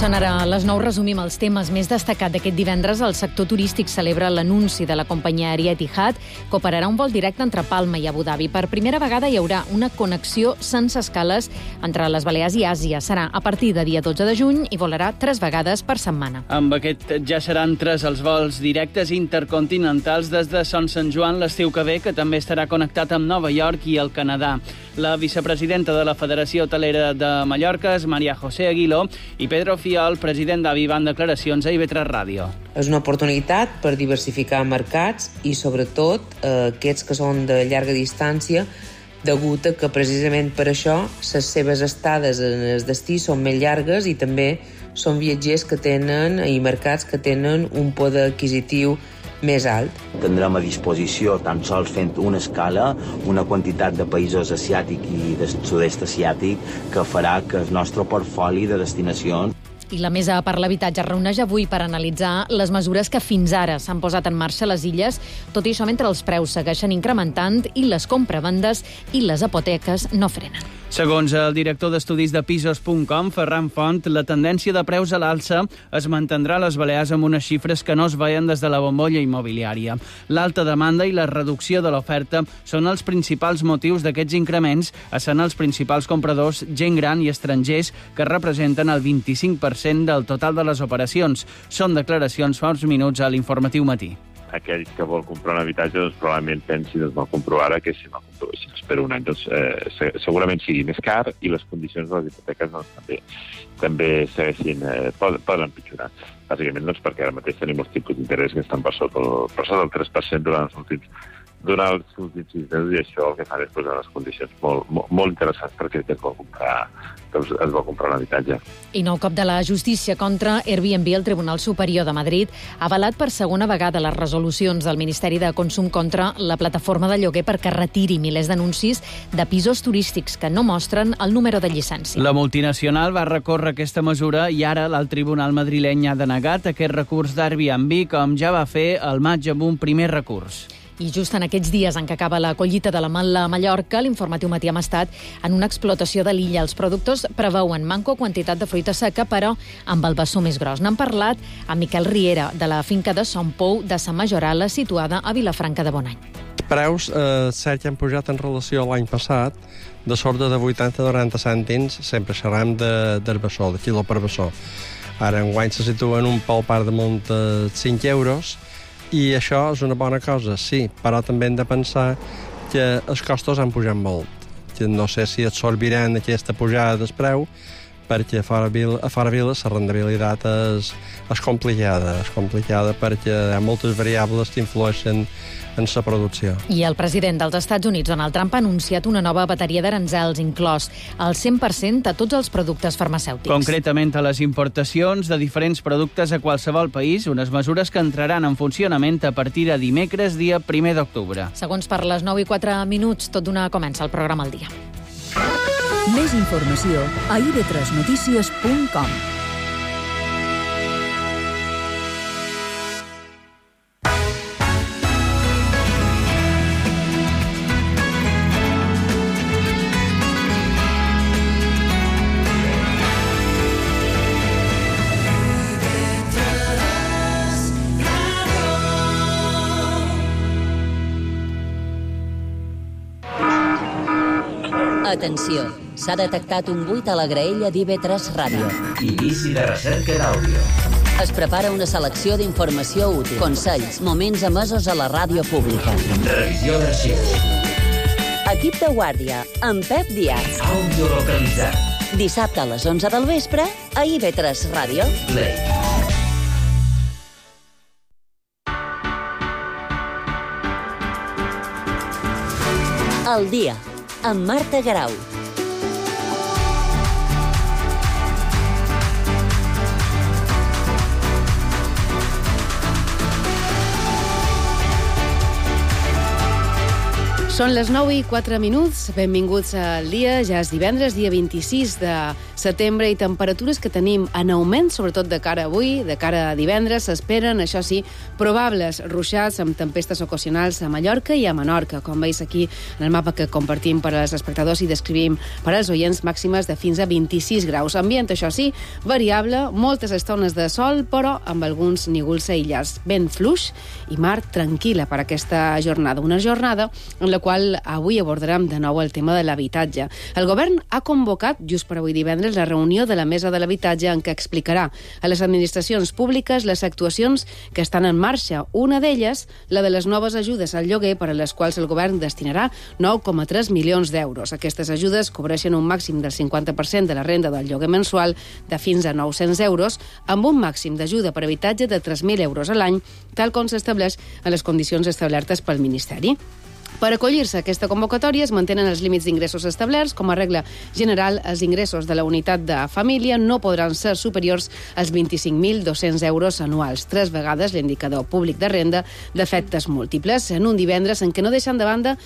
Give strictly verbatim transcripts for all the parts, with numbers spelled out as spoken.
Són ara a les nou, resumim els temes més destacats d'aquest divendres. El sector turístic celebra l'anunci de la companyia aèria Etihad, que operarà un vol directe entre Palma i Abu Dhabi. Per primera vegada hi haurà una connexió sense escales entre les Balears i Àsia. Serà a partir de dia dotze de juny i volarà tres vegades per setmana. Amb aquest ja seran tres els vols directes intercontinentals des de Son Sant Joan l'estiu que ve, que també estarà connectat amb Nova York i el Canadà. La vicepresidenta de la Federació Hotelera de Mallorca és Maria José Aguiló i Pedro Fiol, president d'Avi, van declaracions a I V tres Ràdio. És una oportunitat per diversificar mercats i, sobretot, eh, aquests que són de llarga distància, degut a que precisament per això les seves estades en el destí són més llargues i també són viatgers que tenen i mercats que tenen un poder adquisitiu més alt. Tindrem a disposició, tan sols fent una escala, una quantitat de països asiàtics i del sud-est asiàtic que farà que el nostre portfoli de destinacions. I la Mesa per l'Habitatge es reuneix avui per analitzar les mesures que fins ara s'han posat en marxa a les illes, tot i això mentre els preus segueixen incrementant i les compravendes i les hipoteques no frenen. Segons el director d'estudis de pisos punt com, Ferran Font, la tendència de preus a l'alça es mantindrà a les Balears amb unes xifres que no es veien des de la bombolla immobiliària. L'alta demanda i la reducció de l'oferta són els principals motius d'aquests increments, essent els principals compradors gent gran i estrangers, que representen el vint-i-cinc per cent del total de les operacions. Són declaracions fa uns minuts a l'Informatiu Matí. Aquell que vol comprar un habitatge doncs, probablement pensi, doncs, vol comprovar ara que si no compro, si espera un any, doncs, eh, segurament sigui més car i les condicions de les hipoteques doncs, també, també segueixin, eh, poden, poden empitjorar. Bàsicament doncs, perquè ara mateix tenim els tipus d'interès que estan per sota, per sota del tres per cent durant els últims durant els últims sis mesos, i això el que fa és posar les condicions molt, molt, molt interessants perquè es vol comprar, doncs, es vol comprar un habitatge. I nou cop de la justícia contra Airbnb. El Tribunal Superior de Madrid ha avalat per segona vegada les resolucions del Ministeri de Consum contra la plataforma de lloguer perquè retiri milers d'anuncis de pisos turístics que no mostren el número de llicència. La multinacional va recórrer aquesta mesura i ara l'alt tribunal madrileny ha denegat aquest recurs d'Airbnb, com ja va fer al maig amb un primer recurs. I just en aquests dies en què acaba la collita de la Mala a Mallorca, l'Informatiu Matí hem estat en una explotació de l'illa. Els productors preveuen manco quantitat de fruita seca, però amb el bessó més gros. N'han parlat amb Miquel Riera, de la finca de Son Pou de Sa Majorala, situada a Vilafranca de Bonany. Els preus, eh, cert que han pujat en relació a l'any passat, de sorda de vuitanta a noranta cèntims, sempre xerram de, del bessó, de quilo per bessó. Ara, enguany se situen un pel part de munt de cinc euros, i això és una bona cosa, sí, però també hem de pensar que els costos han pujat molt. Que no sé si absorbiran aquesta pujada del preu, perquè a fora vila, a fora vila la rendibilitat és, és complicada, és complicada perquè hi ha moltes variables que influeixen en la producció. I el president dels Estats Units, Donald Trump, ha anunciat una nova bateria d'aranzels, inclòs el cent per cent a tots els productes farmacèutics. Concretament a les importacions de diferents productes a qualsevol país, unes mesures que entraran en funcionament a partir de dimecres, dia primer d'octubre. Segons per les nou i quatre minuts, tot d'una comença el programa al dia. Més informació a i ve tres notícies punt com. Atenció, s'ha detectat un buit a la graella d'I ve tres Ràdio. Inici de recerca d'àudio. Es prepara una selecció d'informació útil, consells, moments emesos a la ràdio pública. Revisió d'arxius. Equip de guàrdia, amb Pep Díaz. Àudio localitzat. Dissabte a les onze del vespre, a I ve tres Ràdio. Play. El dia, amb Marta Garau. Són les nou i quatre minuts, benvinguts al dia, ja és divendres, dia vint-i-sis de setembre, i temperatures que tenim en augment, sobretot de cara a avui, de cara a divendres, s'esperen, això sí, probables ruixats amb tempestes ocasionals a Mallorca i a Menorca, com veus aquí en el mapa que compartim per als espectadors i descrivim per als oients, màximes de fins a vint-i-sis graus. Ambient, això sí, variable, moltes estones de sol, però amb alguns nígols aïllats. Vent fluix i mar tranquil·la per aquesta jornada. Una jornada en la qual avui abordarem de nou el tema de l'habitatge. El govern ha convocat, just per avui divendres, la reunió de la Mesa de l'Habitatge en què explicarà a les administracions públiques les actuacions que estan en marxa. Una d'elles, la de les noves ajudes al lloguer, per a les quals el govern destinarà nou coma tres milions d'euros. Aquestes ajudes cobreixen un màxim del cinquanta per cent de la renda del lloguer mensual de fins a nou-cents euros, amb un màxim d'ajuda per habitatge de tres mil euros a l'any, tal com s'estableix en les condicions establertes pel Ministeri. Per acollir-se a aquesta convocatòria es mantenen els límits d'ingressos establerts. Com a regla general, els ingressos de la unitat de família no podran ser superiors als vint-i-cinc mil dos-cents euros anuals, tres vegades l'indicador públic de renda d'efectes múltiples, en un divendres en què no deixen de banda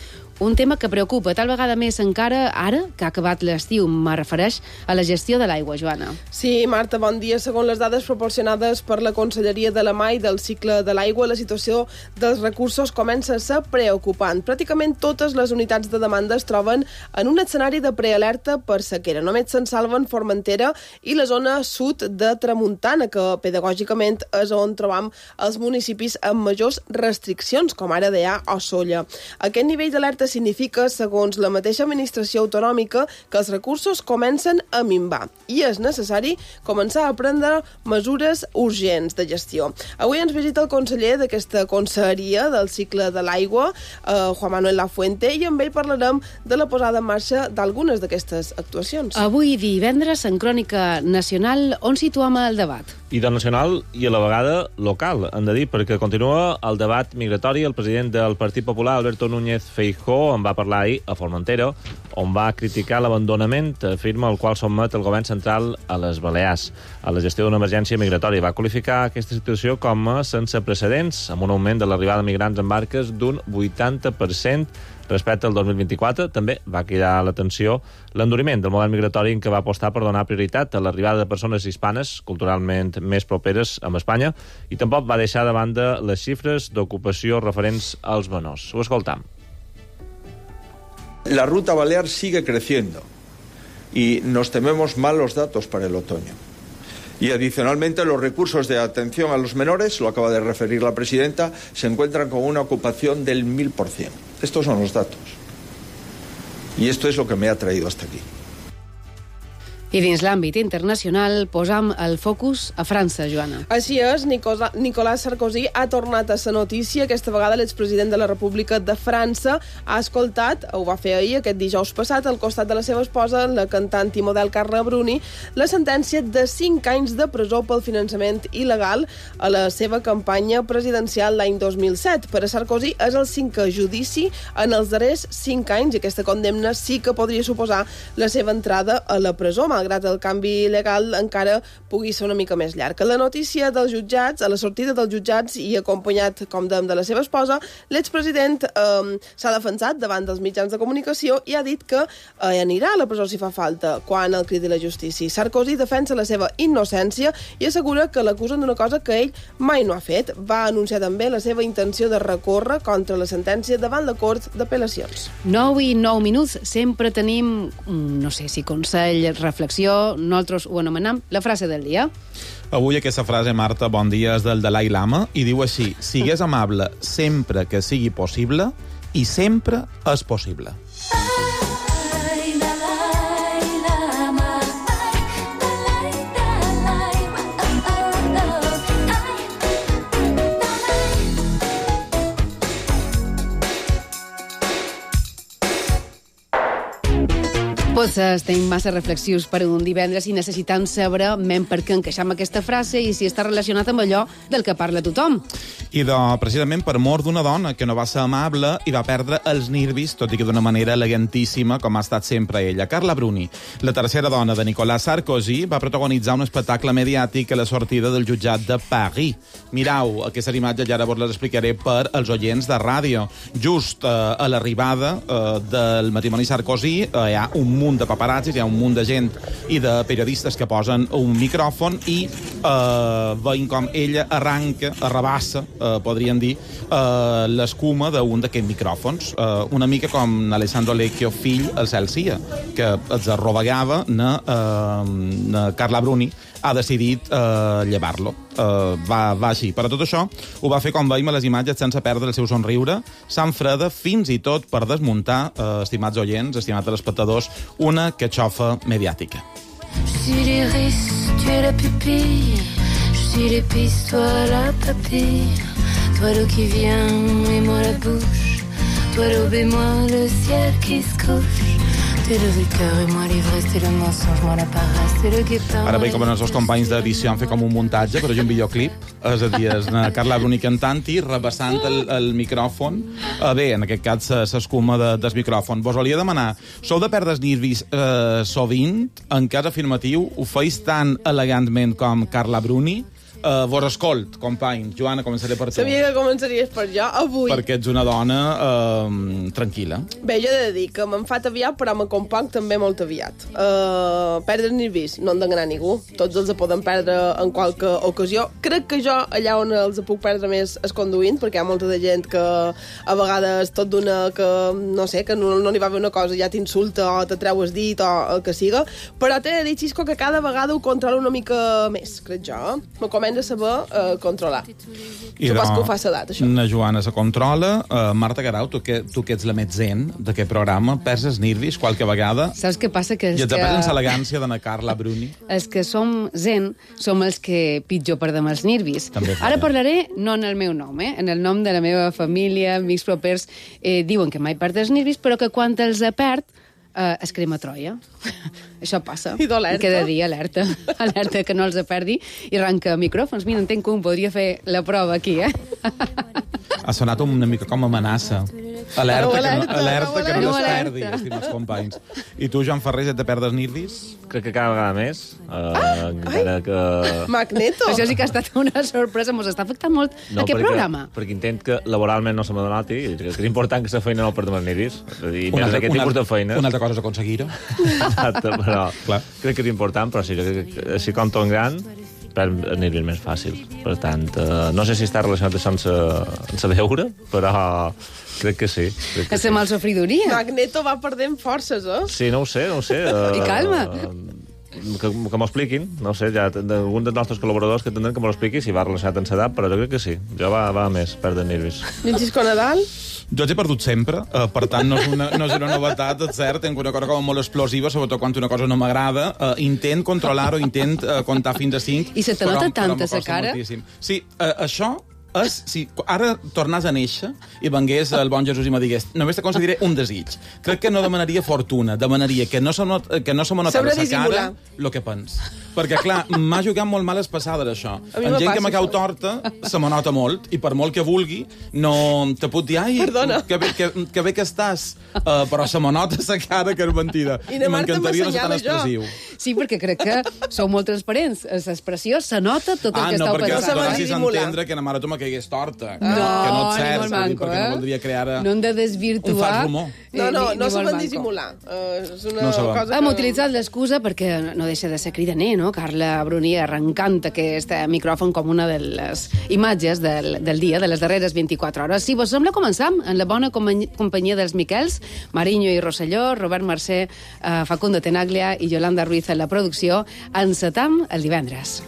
un tema que preocupa, tal vegada més encara ara que ha acabat l'estiu. Me refereix a la gestió de l'aigua, Joana. Sí, Marta, bon dia. Segons les dades proporcionades per la Conselleria de la Mar i del cicle de l'aigua, la situació dels recursos comença a ser preocupant. Pràcticament totes les unitats de demanda es troben en un escenari de prealerta per sequera. Només se'n salven Formentera i la zona sud de Tramuntana, que pedagògicament és on trobam els municipis amb majors restriccions, com ara Deià o Sóller. Aquest nivell d'alerta significa, segons la mateixa administració autonòmica, que els recursos comencen a minvar i és necessari començar a prendre mesures urgents de gestió. Avui ens visita el conseller d'aquesta conselleria del cicle de l'aigua, eh, Juan Manuel Lafuente, i amb ell parlarem de la posada en marxa d'algunes d'aquestes actuacions. Avui divendres, en Crònica Nacional, on situem el debat? I del nacional i a la vegada local, hem de dir, perquè continua el debat migratori. El president del Partit Popular, Alberto Núñez Feijóo, en va parlar ahir a Formentera, on va criticar l'abandonament, afirma, el qual sotmet el govern central a les Balears, a la gestió d'una emergència migratòria. Va qualificar aquesta situació com a sense precedents, amb un augment de l'arribada de migrants en barques d'un vuitanta per cent respecte al dos mil vint-i-quatre. També va cridar l'atenció l'enduriment del model migratori en què va apostar per donar prioritat a l'arribada de persones hispanes, culturalment més properes amb Espanya, i tampoc va deixar de banda les xifres d'ocupació referents als menors. Ho escoltam. La ruta balear sigue creciendo y nos tememos malos datos para el otoño. Y adicionalmente los recursos de atención a los menores, lo acaba de referir la presidenta, se encuentran con una ocupación del mil por cien. Estos son los datos. Y esto es lo que me ha traído hasta aquí. I dins l'àmbit internacional posam el focus a França, Joana. Així és, Nicolas Sarkozy ha tornat a ser notícia. Aquesta vegada l'expresident de la República de França ha escoltat, ho va fer ahir, aquest dijous passat, al costat de la seva esposa, la cantant i model Carla Bruni, la sentència de cinc anys de presó pel finançament il·legal a la seva campanya presidencial l'any dos mil set. Per a Sarkozy és el cinquè judici en els darrers cinc anys i aquesta condemna sí que podria suposar la seva entrada a la presó, malgrat el canvi legal encara pugui ser una mica més llarg. La notícia dels jutjats, a la sortida dels jutjats i acompanyat, com dèiem, de la seva esposa, l'expresident eh, s'ha defensat davant dels mitjans de comunicació i ha dit que eh, anirà a la presó si fa falta quan el cridi la justícia. Sarkozy defensa la seva innocència i assegura que l'acusen d'una cosa que ell mai no ha fet. Va anunciar també la seva intenció de recórrer contra la sentència davant la Cort d'Apel·lacions. nou i nou minuts, sempre tenim, no sé si consell, reflexió, nosaltres ho anomenem la frase del dia. Avui aquesta frase, Marta, bon dia, és del Dalai Lama i diu així: sigues amable sempre que sigui possible i sempre és possible. Tots estem massa reflexius per un divendres i necessitem saber men per què encaixam aquesta frase i si està relacionat amb allò del que parla tothom. I de, precisament per mort d'una dona que no va ser amable i va perdre els nervis, tot i que d'una manera elegantíssima, com ha estat sempre ella. Carla Bruni, la tercera dona de Nicolas Sarkozy, va protagonitzar un espectacle mediàtic a la sortida del jutjat de Paris. Mirau, aquestes imatges ja ara vos les explicaré per als oients de ràdio. Just eh, a l'arribada eh, del matrimoni Sarkozy eh, hi ha un munt de paparazzis, hi ha un munt de gent i de periodistes que posen un micròfon i eh, veient com ella arranca, arrabassa, eh, podríem dir, eh, l'escuma d'un d'aquests micròfons. Eh, una mica com Alessandro Lecchio, fill, el cel sia, que els arrobegava na, eh, na Carla Bruni, ha decidit eh, llevar-lo. Eh, va, va així. Per a tot això, ho va fer, com veiem a les imatges, sense perdre el seu somriure, sang freda, fins i tot per desmuntar, eh, estimats oients, estimats telespectadors, una catxofa mediàtica. Je suis l'iris, tu es la pupille. Je suis l'épice, toi la papille. Toi l'eau qui vient et moi la bouche. Toi l'aube et moi le ciel qui se couche. Ara veig com els seus companys d'edició han fet com un muntatge, però és un videoclip, és a dir, és Carla Bruni cantant-hi, rebassant el, el micròfon. Eh, bé, en aquest cas s'escuma de, del micròfon. Vos volia demanar, sou de perdre els nervis eh, sovint? En cas afirmatiu, ho feis tan elegantment com Carla Bruni? Uh, vos escolt, companys. Joana, començaré per tu. Sabia que començaries per jo, avui. Perquè ets una dona uh, tranquil·la. Bé, jo he de dir que me'n fat aviat, però me componc també molt aviat. Uh, perdre nervis, no han d'enganar ningú. Tots els poden perdre en qualque ocasió. Crec que jo, allà on els puc perdre més, és conduint, perquè hi ha molta de gent que a vegades tot d'una que, no sé, que no, no li va bé una cosa, ja t'insulta o te treu el dit o el que siga. Però t'he de dir, Xisco, que cada vegada ho controlo una mica més, crec jo. Me comença de saber uh, controlar. I Supos que ho fa l'edat, això. Na Joana se controla. Uh, Marta Garau, tu que, tu que ets la més zen d'aquest programa, perds els nervis qualque vegada? Saps què passa? Que I et que... perds l'elegància de na Carla Bruni? Els que som zen som els que pitjor perdem els nervis. També Ara parlaré no en el meu nom, eh? En el nom de la meva família, amics propers, eh, diuen que mai perd els nervis, però que quan els perd Uh, es crema Troia. Això passa. I d'alerta. Cada dia alerta. Alerta que no els perdi i arranca micròfons. Mira, entenc que un podria fer la prova aquí, eh? Ha sonat una mica com amenaça. Alerta, No, que no, alerta, alerta que no, no, es alerta. perdi, estimats companys. I tu, Joan Ferrer, et de perdre els nervis? Crec que cada vegada més. Uh, encara que... Magneto! Això sí que ha estat una sorpresa. Mos està afectant molt No, aquest perquè, programa. perquè intent que laboralment no se m'adonati, i crec que és important que la feina no perdem els nervis. I Una més altra- d'aquest una tipus de altra- feina. Una altra cosa és aconseguir-ho. Exacte, però Clar. crec que és important, però sí, crec que així com tot gran, perd els nervis més fàcil. Per tant, uh, no sé si està relacionat sense, sense veure, però crec que sí. Crec que És la malsofridoria. Magneto va perdent forces, eh? Sí, no ho sé, no ho sé. Uh, I calma. Que, que m'ho expliquin, no ho sé, ja algun dels nostres col·laboradors que tindran que m'ho expliqui si va relacionat amb l'edat, però jo crec que sí. Jo va, va més, perdre nervis. I en Xisco Nadal? Jo els he perdut sempre, eh, per tant no és una, no és una novetat, és cert, tenc una cosa com molt explosiva, sobretot quan una cosa no m'agrada, eh, intent controlar-ho, intent eh, comptar fins a cinc. I se te nota tant a sa cara? Moltíssim. Sí, eh, això és, si ara tornàs a néixer i vengués el bon Jesús i me digués només te concediré un desig. Crec que no demanaria fortuna, demanaria que no se, not, que no se me notava Saber la cara dissimular. el que pens. Perquè, clar, m'ha jugat molt males passades, això. A mi En me gent que passa me cau això. torta, se me nota molt, i per molt que vulgui, no te puc dir, ai, Perdona. que bé que, que, bé que estàs, uh, però se me nota la cara que és mentida. I na Marta m'encantaria no ser tan m'assenyala jo. expressiu. Sí, perquè crec que sou molt transparents. L'expressió se nota tot el Ah, que no, estàu perquè pensant. donassis a dissimular. entendre que na mare tu me caigués torta. No, que no ni et cert, molt saps? manco, perquè eh? no voldria crear No hem de un fals desvirtuar... rumor. No, no, ni- no ni saben molt manco. dissimular. Uh, és una No saben. cosa Hem que... utilitzat l'excusa perquè no deixa de ser cridaner, no? Carla Bruni arrencant aquest micròfon com una de les imatges del, del dia, de les darreres vint-i-quatre hores. Si vos sembla, començam en la bona company- companyia dels Miquels, Mariño i Rosselló, Robert Mercè, eh, Facundo Tenaglia i Yolanda Ruiz en la producció. Encetam el divendres.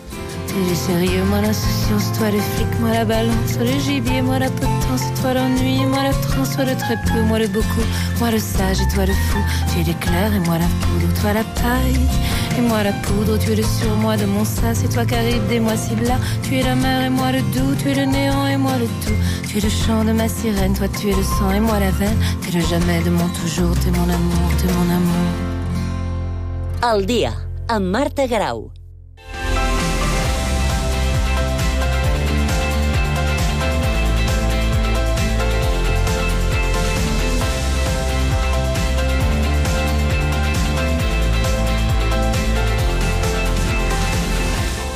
T'es le sérieux, moi l'insouciance, toi le flic, moi la balance, le gibier, moi la potence, toi l'ennui, moi la transe, toi le très peu, moi le beaucoup, moi le sage et toi le fou. Tu es l'éclair et moi la poudre, toi la paille et moi la poudre. Tu es le surmoi de mon sas, c'est toi qui arrive des mois si blas. Tu es la mer et moi le doux, tu es le néant et moi le tout. Tu es le chant de ma sirène, toi tu es le sang et moi la veine. T'es le jamais de mon toujours, t'es mon amour, t'es mon amour. Al dia, amb Marta Garau.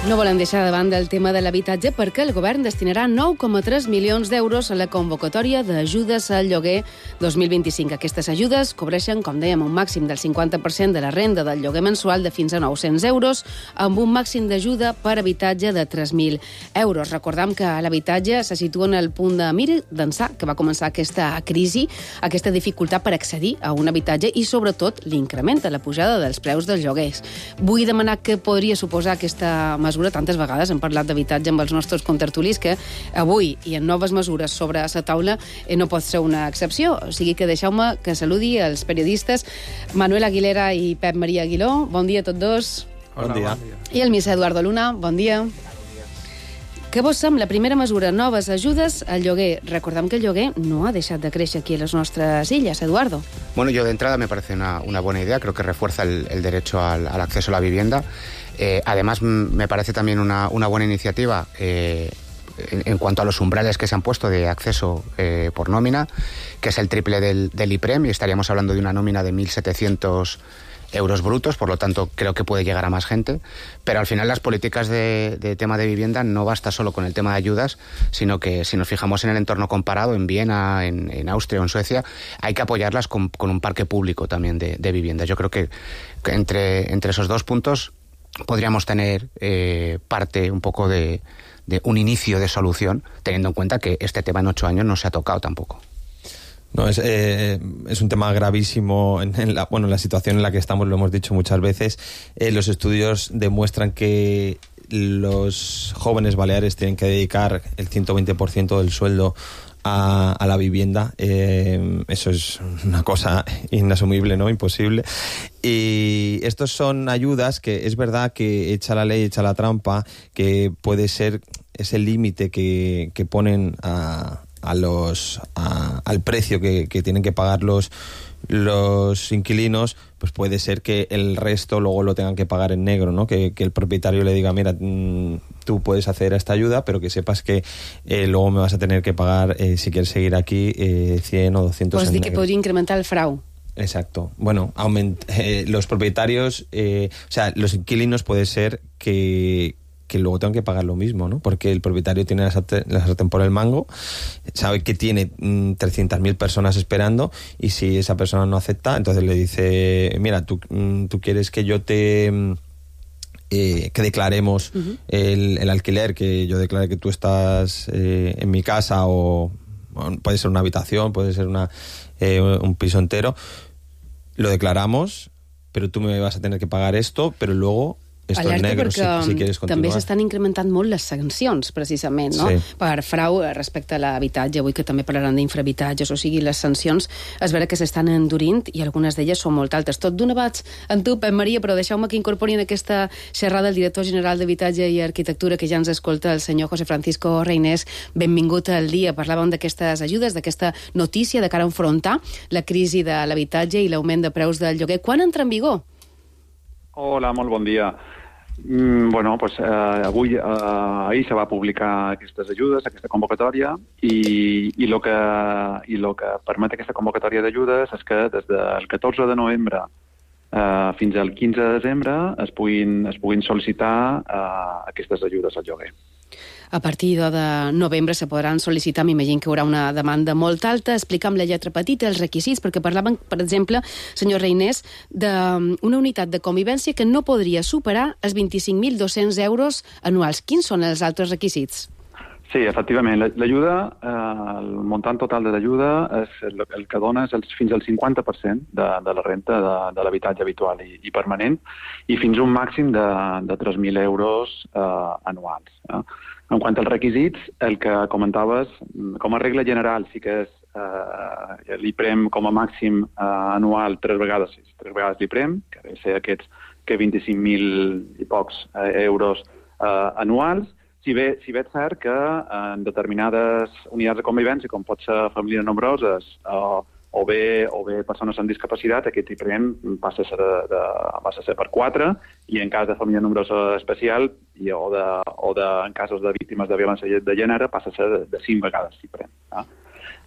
No volem deixar de banda el tema de l'habitatge perquè el govern destinarà nou coma tres milions d'euros a la convocatòria d'ajudes al lloguer dos mil vint-i-cinc. Aquestes ajudes cobreixen, com dèiem, un màxim del cinquanta per cent de la renda del lloguer mensual de fins a nou-cents euros, amb un màxim d'ajuda per habitatge de tres mil euros. Recordem que l'habitatge se situa en el punt de mira d'ençà que va començar aquesta crisi, aquesta dificultat per accedir a un habitatge i, sobretot, l'increment de la pujada dels preus dels lloguers. Vull demanar què podria suposar aquesta mesura. Tantes vegades hem parlat d'habitatge amb els nostres contertulis que avui i en noves mesures sobre la taula eh, no pot ser una excepció. O sigui que deixeu-me que saludi els periodistes Manuel Aguilera i Pep Maria Aguiló. Bon dia a tots dos. Bon dia. I el misser Eduardo Luna. Bon dia. Què vos sembla? Primera mesura, noves ajudes al lloguer. Recordem que el lloguer no ha deixat de créixer aquí a les nostres illes, Eduardo. Bueno, yo de entrada me parece una, una buena idea. Creo que refuerza el, el derecho al, al acceso a la vivienda. Eh, además, me parece también una, una buena iniciativa eh, en, en cuanto a los umbrales que se han puesto de acceso eh, por nómina, que es el triple del, del IPREM, y estaríamos hablando de una nómina de mil setecientos euros brutos, por lo tanto creo que puede llegar a más gente, pero al final las políticas de, de tema de vivienda no basta solo con el tema de ayudas, sino que si nos fijamos en el entorno comparado, en Viena, en, en Austria o en Suecia, hay que apoyarlas con, con un parque público también de, de vivienda. Yo creo que, que entre, entre esos dos puntos podríamos tener eh, parte un poco de, de un inicio de solución, teniendo en cuenta que este tema en ocho años no se ha tocado tampoco. No, es, eh, es un tema gravísimo en, en la, bueno, en la situación en la que estamos, lo hemos dicho muchas veces. Eh, los estudios demuestran que los jóvenes baleares tienen que dedicar el ciento veinte por ciento del sueldo a, a la vivienda. Eh, eso es una cosa inasumible, ¿no? Imposible. Y estos son ayudas que es verdad que echa la ley, echa la trampa, que puede ser ese límite que, que ponen a... a los a, al precio que, que tienen que pagar los los inquilinos, pues puede ser que el resto luego lo tengan que pagar en negro, ¿no? Que, que el propietario le diga, mira, mmm, tú puedes acceder a esta ayuda, pero que sepas que eh, luego me vas a tener que pagar, eh, si quieres seguir aquí, eh, cien o doscientos pues en di negro. Que podría incrementar el frau. Exacto. Bueno, aument eh, los propietarios, eh, o sea, los inquilinos puede ser que que luego tengan que pagar lo mismo, ¿no? Porque el propietario tiene la sartén, la sartén por el mango, sabe que tiene mmm, trescientas mil personas esperando, y si esa persona no acepta, entonces le dice, mira, tú, mmm, tú quieres que yo te... Eh, que declaremos uh-huh. el, el alquiler, que yo declare que tú estás eh, en mi casa, o, o puede ser una habitación, puede ser una eh, un piso entero, lo declaramos, pero tú me vas a tener que pagar esto, però luego... esto en negro, si, si quieres continuar. També s'estan incrementant molt les sancions, precisament, no? Sí. Per frau respecte a l'habitatge. Avui que també parlaran d'infrahabitatges, o sigui, les sancions es vera que s'estan endurint i algunes d'elles són molt altes. Tot d'una vaig en tu, Pep Maria, però deixeu-me que incorpori en aquesta xerrada el director general d'Habitatge i Arquitectura, que ja ens escolta, el senyor José Francisco Reinés. Benvingut al dia. Parlàvem d'aquestes ajudes, d'aquesta notícia de cara a enfrontar la crisi de l'habitatge i l'augment de preus del lloguer. Quan entra en vigor? Hola, molt bon dia. Mm, bueno, pues, eh, avui, eh, ahir se va publicar aquestes ajudes, aquesta convocatòria, i, i el que, i lo que permet aquesta convocatòria d'ajudes és que des del catorze de novembre eh, fins al quinze de desembre es puguin, es puguin sol·licitar eh, aquestes ajudes al lloguer. A partir de novembre se podran sol·licitar, m'imagino que hi haurà una demanda molt alta. Explica'm la lletra petita, els requisits, perquè parlaven, per exemple, senyor Reinés, d'una unitat de convivència que no podria superar els vint-i-cinc mil dos-cents euros anuals. Quins són els altres requisits? Sí, efectivament. L'ajuda, eh, el muntant total de l'ajuda, és el, el que dona és el, fins al cinquanta per cent de, de la renta de, de l'habitatge habitual i, i permanent, i fins a un màxim de, de tres mil euros eh, anuals. Eh? En quant als requisits, el que comentaves, com a regla general, sí que és eh, l'IPREM com a màxim eh, anual tres vegades, tres vegades l'IPREM, que deu ser aquests que vint-i-cinc mil i pocs eh, euros eh, anuals, si bé, si bé és cert que en determinades unitats de convivència, com pot ser famílies nombroses o, o bé, o bé persones amb discapacitat, aquest increment passa a ser, de, de, passa a ser per quatre, i en cas de família nombrosa especial i, o, de, o de, en casos de víctimes de violència de gènere passa a ser de, de cinc vegades diferent. Eh?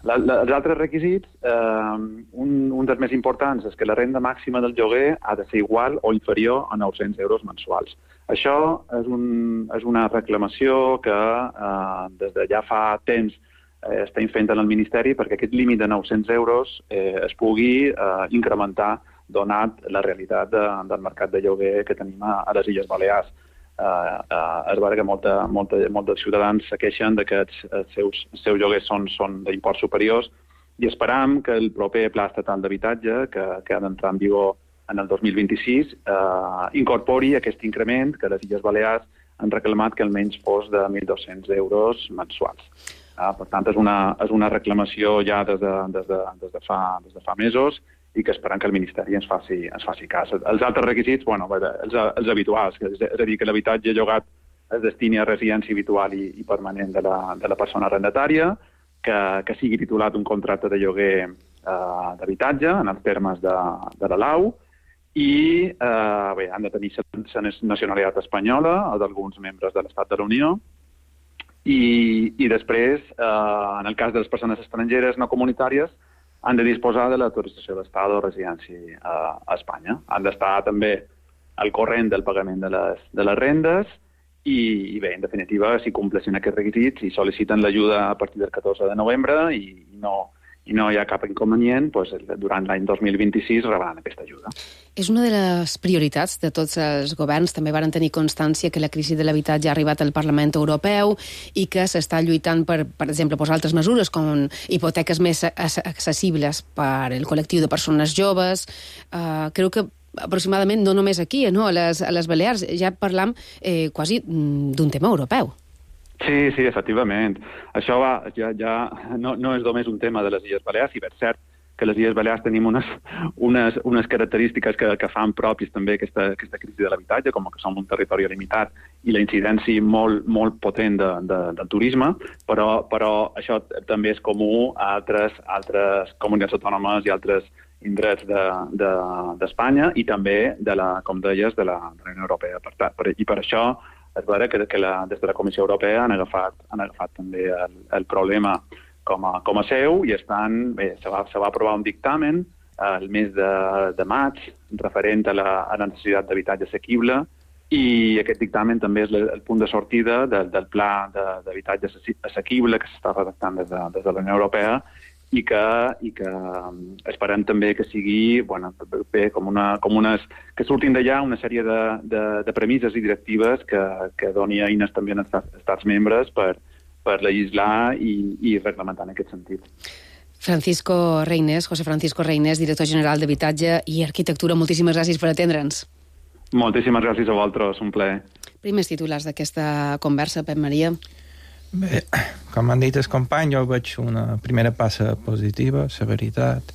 La, la, els altres requisits, eh, un, un dels més importants és que la renda màxima del lloguer ha de ser igual o inferior a nou-cents euros mensuals. Això és, un, és una reclamació que eh, des de ja fa temps eh, estem fent en el Ministeri perquè aquest límit de nou-cents euros eh, es pugui eh, incrementar donat la realitat de, del mercat de lloguer que tenim a, a les Illes Balears. Uh, uh, és vera que molta, molta, molts dels ciutadans se queixen que els, els seus, els seus lloguers són, són d'imports superiors i esperam que el proper Pla Estatal d'Habitatge, que, que ha d'entrar en vigor en el dos mil vint-i-sis, uh, incorpori aquest increment que les Illes Balears han reclamat que almenys fos de mil dos-cents euros mensuals. Uh, per tant, és una, és una reclamació ja des de, des de, des de, fa, des de fa mesos i que esperem que el Ministeri ens faci, ens faci cas. Els altres requisits, bueno, els, els habituals, és a dir, que l'habitatge llogat es destini a residència habitual i, i permanent de la, de la persona arrendatària, que, que sigui titulat un contracte de lloguer eh, d'habitatge en els termes de, de la Lau, i eh, bé, han de tenir la nacionalitat espanyola o d'alguns membres de l'Estat de la Unió, i, i després, eh, en el cas de les persones estrangeres no comunitàries, han de disposar de l'autorització d'estada o residència a, a Espanya. Han d'estar també al corrent del pagament de les, de les rendes i, i bé, en definitiva, si compleixen aquests requisits i sol·liciten l'ajuda a partir del catorze de novembre i, i, no, i no hi ha cap inconvenient, doncs, durant l'any dos mil vint-i-sis rebran aquesta ajuda. És una de les prioritats de tots els governs. També varen tenir constància que la crisi de l'habitatge ha arribat al Parlament Europeu i que s'està lluitant per, per exemple, posar altres mesures com hipoteques més accessibles per al col·lectiu de persones joves. Uh, crec que aproximadament no només aquí, no? a, les, a les Balears, ja parlam eh, quasi d'un tema europeu. Sí, sí, efectivament. Això va, ja, ja no, no és només un tema de les Illes Balears, i per cert que les Illes Balears tenim unes, unes, unes característiques que, que fan propis també aquesta, aquesta crisi de l'habitatge, com que som un territori limitat i la incidència molt, molt potent de, de, del turisme, però, però això també és comú a altres, altres comunitats autònomes i altres indrets d'Espanya de, de, i també, de la, com deies, de la, de la Unió Europea. Per, per, I per això és vera que, que la, des de la Comissió Europea han agafat, han agafat també el, el problema com a, com a seu i estan, bé, se va, se va aprovar un dictamen el mes de, de maig referent a la, a la necessitat d'habitatge assequible i aquest dictamen també és el, el punt de sortida del, del pla d'habitatge assequible que s'està redactant des de, des de la Unió Europea i que, i que esperem també que sigui, bueno, bé, com una, com unes, que surtin d'allà una sèrie de, de, de premisses i directives que, que doni eines també als estats, estats membres per, per legislar i, i reglamentar en aquest sentit. Francisco Reynés, José Francisco Reynés, director general d'Habitatge i Arquitectura, moltíssimes gràcies per atendre'ns. Moltíssimes gràcies a vosaltres, un plaer. Primers titulars d'aquesta conversa, Pep Maria. Bé, com han dit els companys, jo veig una primera passa positiva, la veritat.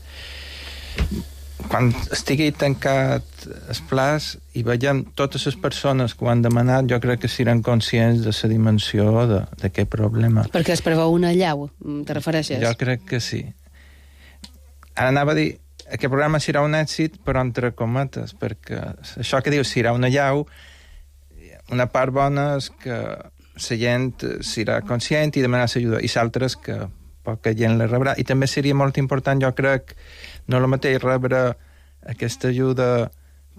Quan estigui tancat el plaç i veiem totes les persones que ho han demanat, jo crec que seran conscients de la dimensió d'aquest problema. Perquè es preveu una llau, te refereixes? Jo crec que sí. Ara anava a dir, aquest programa serà un èxit, però entre cometes, perquè això que diu serà una llau, una part bona és que la gent serà conscient i demanarà l'ajuda, i l'altra és que poca gent la rebrà. I també seria molt important, jo crec, no el mateix rebre aquesta ajuda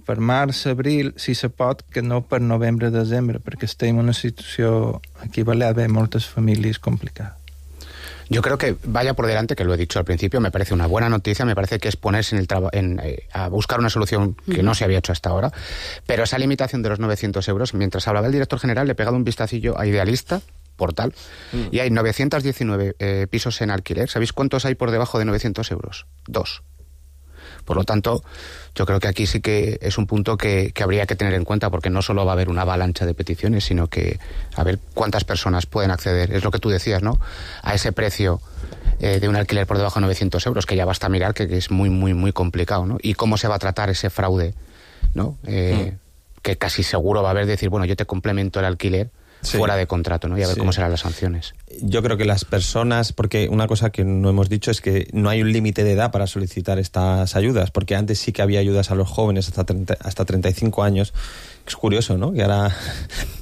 per març, abril, si se pot, que no per novembre, desembre, perquè estem en una situació aquí a Balears, moltes famílies complicadas. Yo creo que vaya por delante, que lo he dicho al principio, me parece una buena noticia, me parece que es ponerse en el traba- en, eh, a buscar una solución que no se había hecho hasta ahora, pero esa limitación de los novecientos euros, mientras hablaba el director general, le he pegado un vistacillo a Idealista, portal, mm. y hay novecientos diecinueve eh, pisos en alquiler. ¿Sabéis cuántos hay por debajo de novecientos euros? Dos. Por lo tanto, yo creo que aquí sí que es un punto que, que habría que tener en cuenta, porque no solo va a haber una avalancha de peticiones, sino que a ver cuántas personas pueden acceder, es lo que tú decías, ¿no?, a ese precio eh, de un alquiler por debajo de novecientos euros, que ya basta mirar que, que es muy, muy, muy complicado, ¿no? Y cómo se va a tratar ese fraude, ¿no? Eh, mm. Que casi seguro va a haber decir, bueno, yo te complemento el alquiler, sí. fuera de contrato, ¿no? Y a ver sí. cómo serán las sanciones. Yo creo que las personas, porque una cosa que no hemos dicho es que no hay un límite de edad para solicitar estas ayudas, porque antes sí que había ayudas a los jóvenes hasta, treinta, hasta treinta y cinco años. Es curioso, ¿no? Que ahora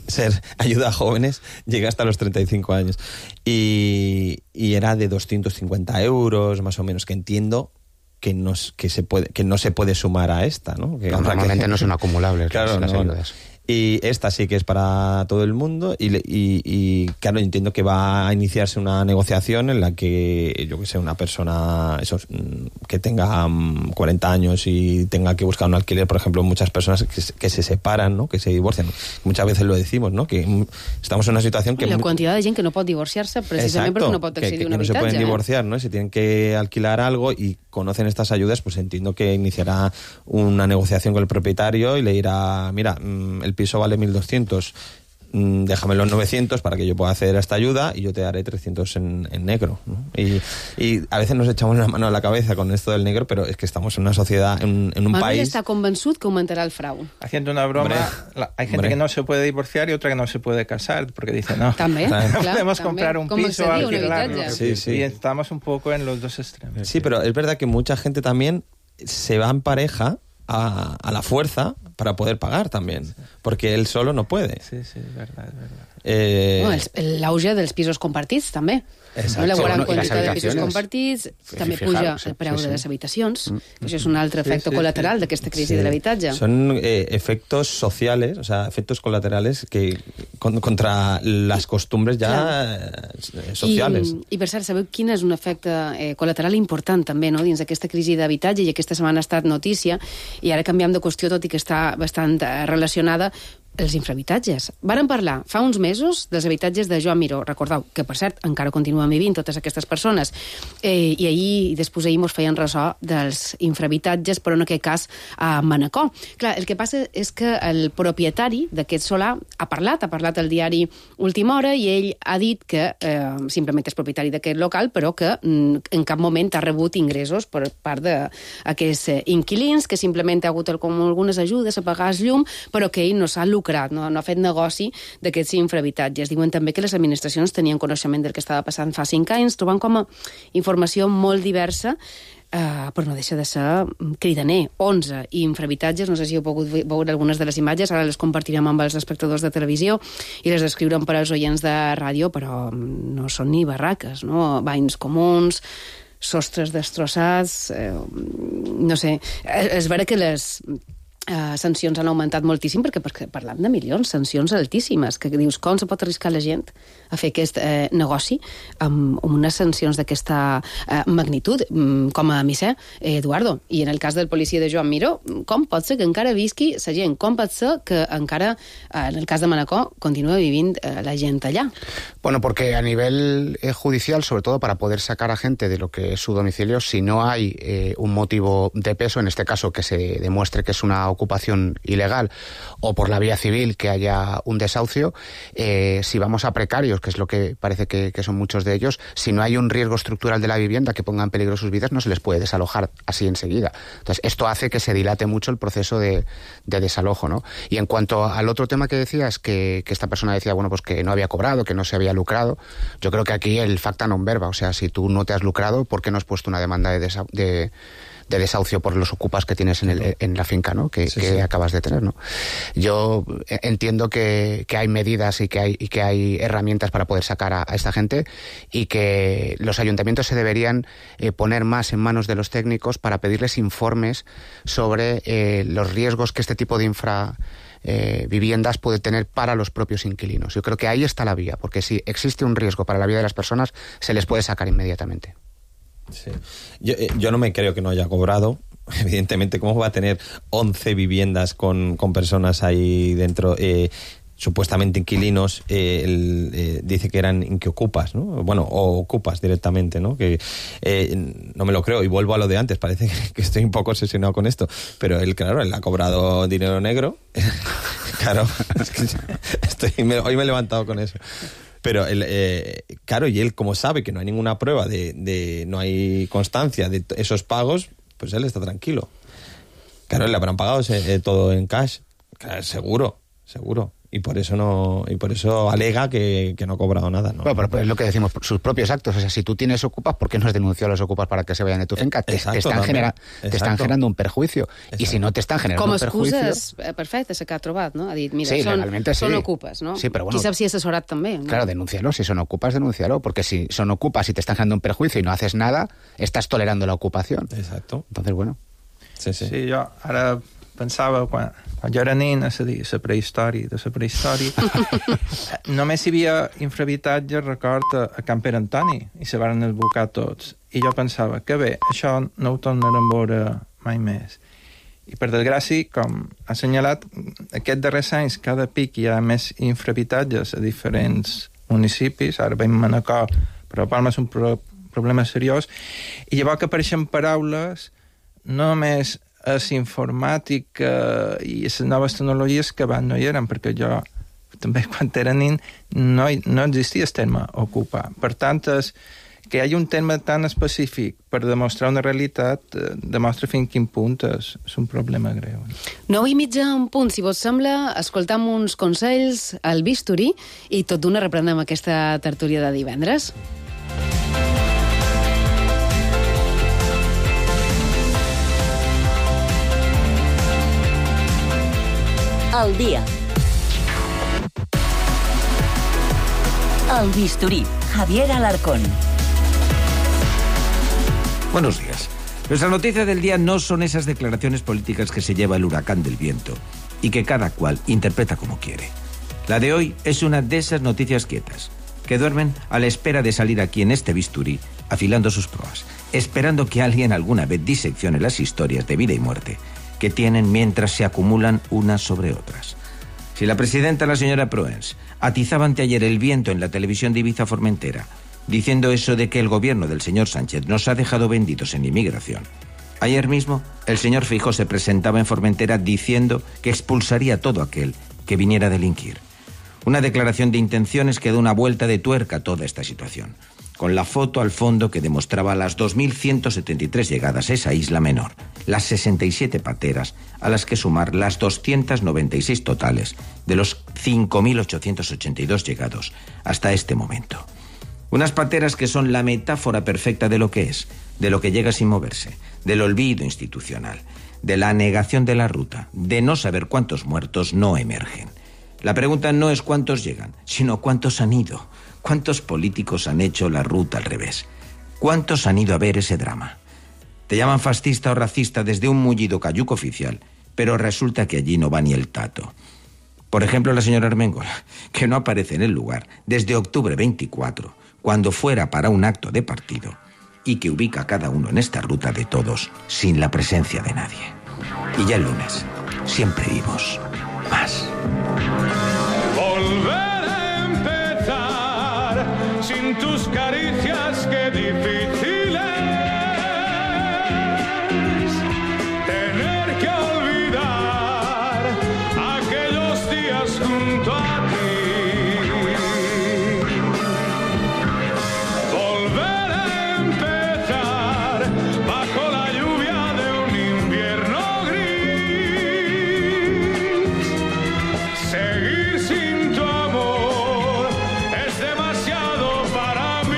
ser ayuda a jóvenes llega hasta los treinta y cinco años. Y, y era de doscientos cincuenta euros, más o menos, que entiendo que no, que se puede, que no se puede sumar a esta, ¿no? Que, normalmente que, no son acumulables claro, las no, ayudas. Y esta sí que es para todo el mundo y, y, y claro, entiendo que va a iniciarse una negociación en la que, yo que sé, una persona eso, que tenga cuarenta años y tenga que buscar un alquiler, por ejemplo, muchas personas que, que se separan, ¿no? Que se divorcian. Muchas veces lo decimos, ¿no? Que estamos en una situación que... I la quantitat de gent que no pot divorciar-se precisament Exacto, perquè no pot accedir que, que, a un que no habitatge. se pueden eh? divorciar, ¿no? Si tienen que alquilar algo y conocen estas ayudas, pues entiendo que iniciará una negociación con el propietario y le dirá, mira, el piso vale mil doscientos, déjame los novecientos para que yo pueda acceder a esta ayuda y yo te daré trescientos en, en negro, ¿no? Y, y a veces nos echamos la mano a la cabeza con esto del negro, pero es que estamos en una sociedad, en, en un Manuel país... está convençut que augmentará el fraude. Haciendo una broma, hombre, la, hay gente hombre. que no se puede divorciar y otra que no se puede casar, porque dice, no, también, no claro, podemos también. comprar un Como piso, alquilarlo. Sí, sí. Y estamos un poco en los dos extremos. Sí, pero es verdad que mucha gente también se va en pareja a, a la fuerza para poder pagar también, sí. porque él solo no puede. Sí, sí, es verdad, es verdad. Eh... Bueno, l'auge dels pisos compartits, també. Exacte. No, la gran bueno, quantitat de pisos compartits, sí, també fijar, puja sí, el preu sí, sí. de les habitacions, Mm. que això és un altre efecte sí, sí, colateral sí. d'aquesta crisi sí. de l'habitatge. Son eh, efectos sociales, o sea, efectos colaterales que con, contra las costumbres ya eh, sociales. I, I per cert, sabeu quin és un efecte eh, col·lateral important també, no?, dins d'aquesta crisi d'habitatge, i aquesta setmana ha estat notícia, i ara canviem de qüestió, tot i que està bastant eh, relacionada, els infrahabitatges. Varen parlar fa uns mesos dels habitatges de Joan Miró. Recordeu que, per cert, encara continuen vivint totes aquestes persones. Eh, I ahir i després ahir mos feien ressò dels infrahabitatges, però en aquest cas a Manacor. Clar, el que passa és que el propietari d'aquest solar ha parlat, ha parlat al diari Última Hora, i ell ha dit que eh, simplement és propietari d'aquest local, però que mm, en cap moment ha rebut ingressos per part d'aquests eh, inquilins, que simplement ha hagut com algunes ajudes a pagar el llum, però que ell no s'ha lucrat, no, no ha fet negoci d'aquests infrahabitatges. Diuen també que les administracions tenien coneixement del que estava passant fa cinc anys, trobant com a informació molt diversa, Uh, però no deixa de ser cridaner. onze infrahabitatges, no sé si heu pogut veure algunes de les imatges, ara les compartirem amb els espectadors de televisió i les descriurem per als oients de ràdio, però no són ni barraques, no? Banys comuns, sostres destrossats, eh, no sé. És vera que les Uh, sancions han augmentat moltíssim, perquè, perquè parlam de milions, sancions altíssimes, que dius, com se pot arriscar la gent a fer aquest eh, negoci amb, amb unes sancions d'aquesta eh, magnitud, mm, com a misser, eh, Eduardo. I en el cas del policia de Joan Miró, com pot ser que encara visqui la gent? Com pot ser que encara, eh, en el cas de Manacor, continua vivint eh, la gent allà? Bueno, porque a nivel eh, judicial, sobre todo para poder sacar a gente de lo que es su domicilio, si no hay eh, un motivo de peso, en este caso que se demuestre que es una ocupación ilegal, o por la vía civil que haya un desahucio, eh, si vamos a precarios, que es lo que parece que, que son muchos de ellos, si no hay un riesgo estructural de la vivienda que ponga en peligro sus vidas, no se les puede desalojar así enseguida. Entonces, esto hace que se dilate mucho el proceso de, de desalojo, ¿no? Y en cuanto al otro tema que decías, que, que esta persona decía, bueno, pues que no había cobrado, que no se había lucrado, yo creo que aquí el facta non verba, o sea, si tú no te has lucrado, ¿por qué no has puesto una demanda de, desa- de de desahucio por los ocupas que tienes en, el, en la finca, ¿no? Que, sí, que sí. acabas de tener, ¿no? Yo entiendo que, que hay medidas y que hay, y que hay herramientas para poder sacar a, a esta gente, y que los ayuntamientos se deberían eh, poner más en manos de los técnicos para pedirles informes sobre eh, los riesgos que este tipo de infra Eh, viviendas puede tener para los propios inquilinos. Yo creo que ahí está la vía, porque si existe un riesgo para la vida de las personas, se les puede sacar inmediatamente. Sí. Yo, eh, yo no me creo que no haya cobrado. Evidentemente, ¿cómo va a tener once viviendas con, con personas ahí dentro? Eh, supuestamente inquilinos, eh, el, eh, dice que eran inquiocupas, ¿no? Bueno, o ocupas directamente, ¿no? Que eh, no me lo creo, y vuelvo a lo de antes, parece que estoy un poco obsesionado con esto, pero él, claro, él ha cobrado dinero negro, claro, es que estoy, me, hoy me he levantado con eso. Pero, él, eh, claro, y él, como sabe que no hay ninguna prueba, de, de no hay constancia de esos pagos, pues él está tranquilo. Claro, le habrán pagado eh, todo en cash, claro, seguro, seguro. y por eso no y por eso alega que, que no ha cobrado nada, ¿no? Bueno, pero es lo que decimos, sus propios actos. O sea, si tú tienes ocupas, ¿por qué no has denunciado a los ocupas para que se vayan de tu finca? Te, Exacto, te, están, genera, te están generando un perjuicio. Exacto. Y si no te están generando Com un perjuicio... Com a excusa perfecta, que ha trobat, no? Ha dit, mira, sí, són, legalmente sí. són ocupes, no? Sí, pero bueno, qui sap si ha assessorat també, no? Claro, denúncialo. Si son ocupas, denúncialo. Porque si son ocupas y te están generando un perjuicio y no haces nada, estás tolerando la ocupación. Exacto. Entonces, bueno... Sí, sí. Sí, jo ara pensava, quan, quan jo era nen, és a dir, la prehistòria de la prehistòria, només hi havia infrahabitatge, record, a, a Can Pere Antoni, i se van esbocar tots. I jo pensava, que bé, això no ho tornarem a veure mai més. I per desgràcia, com ha assenyalat, aquests darrers anys, cada pic hi ha més infrahabitatges a diferents municipis. Ara veiem Manacor, però Palma és un pro problema seriós. I llavors que apareixen paraules no només és informàtica i les noves tecnologies que abans no hi eren, perquè jo també quan era nen no, no existia el terme ocupar. Per tant, és, que hi hagi un terme tan específic per demostrar una realitat eh, demostra fins quin punt és, és un problema greu. Nou i mitja en punt, si vos sembla, escoltam uns consells al bisturí i tot d'una reprenem aquesta tertúlia de divendres. Al día. Al bisturí, Javier Alarcón. Buenos días. Nuestra noticia del día no son esas declaraciones políticas que se lleva el huracán del viento y que cada cual interpreta como quiere. La de hoy es una de esas noticias quietas, que duermen a la espera de salir aquí en este bisturí, afilando sus proas, esperando que alguien alguna vez diseccione las historias de vida y muerte que tienen mientras se acumulan unas sobre otras. Si la presidenta, la señora Proens, atizaba anteayer el viento en la televisión de Ibiza Formentera, diciendo eso de que el gobierno del señor Sánchez nos ha dejado vendidos en inmigración, ayer mismo el señor Feijóo se presentaba en Formentera diciendo que expulsaría a todo aquel que viniera a delinquir. Una declaración de intenciones que da una vuelta de tuerca a toda esta situación, con la foto al fondo que demostraba las dos mil ciento setenta y tres llegadas a esa isla menor, las sesenta y siete pateras, a las que sumar las doscientas noventa y seis totales de los cinco mil ochocientos ochenta y dos llegados hasta este momento. Unas pateras que son la metáfora perfecta de lo que es, de lo que llega sin moverse, del olvido institucional, de la negación de la ruta, de no saber cuántos muertos no emergen. La pregunta no es cuántos llegan, sino cuántos han ido. ¿Cuántos políticos han hecho la ruta al revés? ¿Cuántos han ido a ver ese drama? Te llaman fascista o racista desde un mullido cayuco oficial, pero resulta que allí no va ni el tato. Por ejemplo, la señora Armengol, que no aparece en el lugar desde octubre veinticuatro, cuando fuera para un acto de partido, y que ubica a cada uno en esta ruta de todos sin la presencia de nadie. Y ya el lunes, siempre vivos más. Volver a empezar sin tus caricias, qué difícil es tener que olvidar aquellos días junto a ti. Volver a empezar bajo la lluvia de un invierno gris. Seguir sin tu amor es demasiado para mí.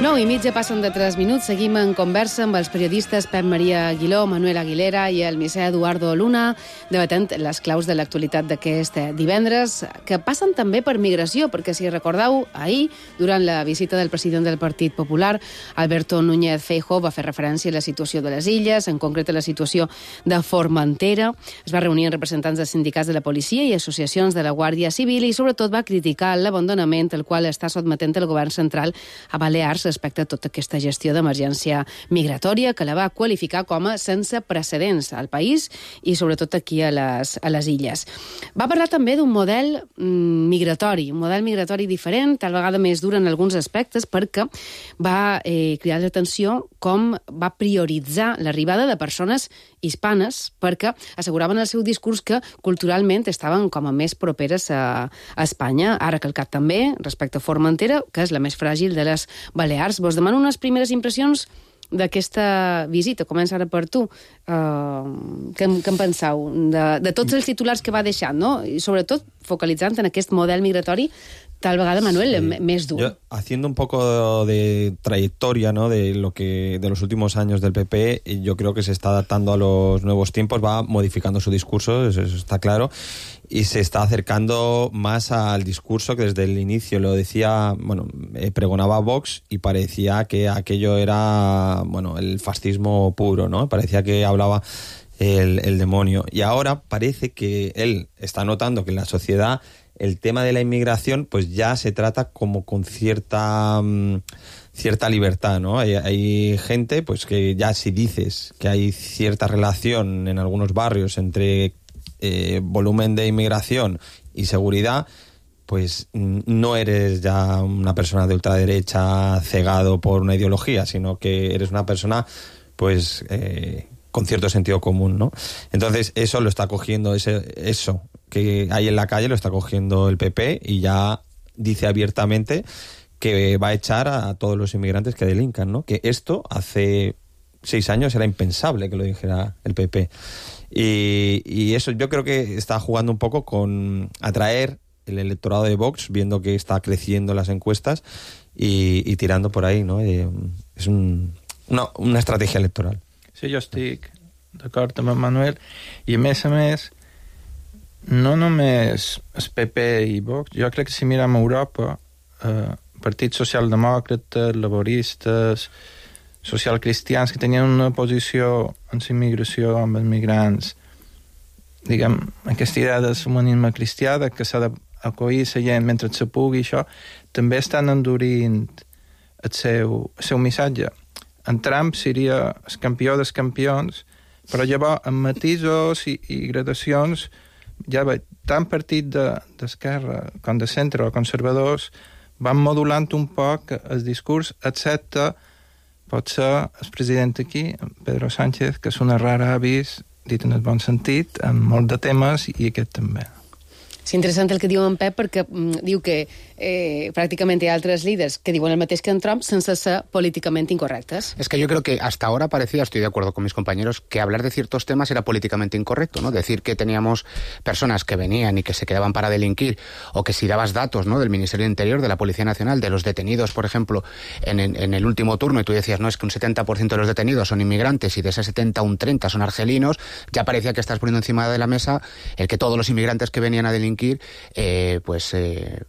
Nou i mitja passen de tres minuts. Seguim en conversa amb els periodistes Pep Maria Aguiló, Manuel Aguilera i el misè Eduardo Luna, debatent les claus de l'actualitat d'aquest divendres, que passen també per migració, perquè si recordeu, ahir, durant la visita del president del Partit Popular, Alberto Núñez Feijóo va fer referència a la situació de les illes, en concret a la situació de Formentera. Es va reunir amb representants de sindicats de la policia i associacions de la Guàrdia Civil i, sobretot, va criticar l'abandonament al qual està sotmetent el govern central a Balears respecte a tota aquesta gestió d'emergència migratòria, que la va qualificar com a sense precedents al país i sobretot aquí a les, a les illes. Va parlar també d'un model mm, migratori, un model migratori diferent, tal vegada més dur en alguns aspectes, perquè va eh, cridar l'atenció com va prioritzar l'arribada de persones hispanes, perquè asseguraven el seu discurs que culturalment estaven com a més properes a, a Espanya. Ha recalcat també, respecte a Formentera, que és la més fràgil de les Balears. Vos demano unes primeres impressions d'aquesta visita? Comença ara per tu. Uh, què, què en penseu? De, de tots els titulars que va deixant, no? I sobretot focalitzant en aquest model migratori tal vegada, Manuel, sí. més dur. Yo, haciendo un poco de trayectoria, ¿no?, de lo que de los últimos años del P P, yo creo que se está adaptando a los nuevos tiempos, va modificando su discurso, eso, eso está claro, y se está acercando más al discurso que desde el inicio lo decía, bueno, eh, pregonaba Vox y parecía que aquello era, bueno, el fascismo puro, ¿no? Parecía que hablaba el, el demonio. Y ahora parece que él está notando que en la sociedad el tema de la inmigración pues ya se trata como con cierta um, cierta libertad, ¿no? Hay, hay gente pues que ya si dices que hay cierta relación en algunos barrios entre eh, volumen de inmigración y seguridad, pues no eres ya una persona de ultraderecha cegado por una ideología, sino que eres una persona pues eh, con cierto sentido común, ¿no? Entonces eso lo está cogiendo, ese, eso que hay en la calle lo está cogiendo el P P y ya dice abiertamente que va a echar a todos los inmigrantes que delincan, ¿no? Que esto hace seis años era impensable que lo dijera el P P. Y, y eso yo creo que está jugando un poco con atraer el electorado de Vox, viendo que está creciendo las encuestas y, y tirando por ahí, ¿no? Eh, es un, una, una estrategia electoral. Sí, jo estic d'acord amb en Manuel, i a més a més no només el P P i Vox, jo crec que si mirem a Europa, eh, partits socialdemòcrates, laboristes, socialcristians que tenien una posició en la immigració amb els migrants, diguem, aquesta idea del humanisme cristià, que s'ha d'acollir la gent mentre se pugui, això, també estan endurint el seu, el seu missatge. En Trump seria el campió dels campions, però llavors, amb matisos i, i gradacions, ja veig, tant partit d'esquerra de, com de centre o conservadors van modulant un poc el discurs, excepte potser el president aquí, Pedro Sánchez, que és una rara avis, dit en el bon sentit, en molt de temes, i aquest també. És interessant el que diu en Pep, perquè mm, diu que eh, pràcticament hi ha altres líders que diuen el mateix que en Trump sense ser políticamente incorrectes. Es que yo creo que hasta ahora parecía, estoy de acuerdo con mis compañeros, que hablar de ciertos temas era políticamente incorrecto, ¿no? Decir que teníamos personas que venían y que se quedaban para delinquir, o que si dabas datos, ¿no?, del Ministerio del Interior, de la Policía Nacional, de los detenidos, por ejemplo, en, en, en el último turno, y tú decías, no, es que un setenta por ciento de los detenidos son inmigrantes y de ese setenta un treinta son argelinos, ya parecía que estás poniendo encima de la mesa el que todos los inmigrantes que venían a delinquir, eh, pues... Eh,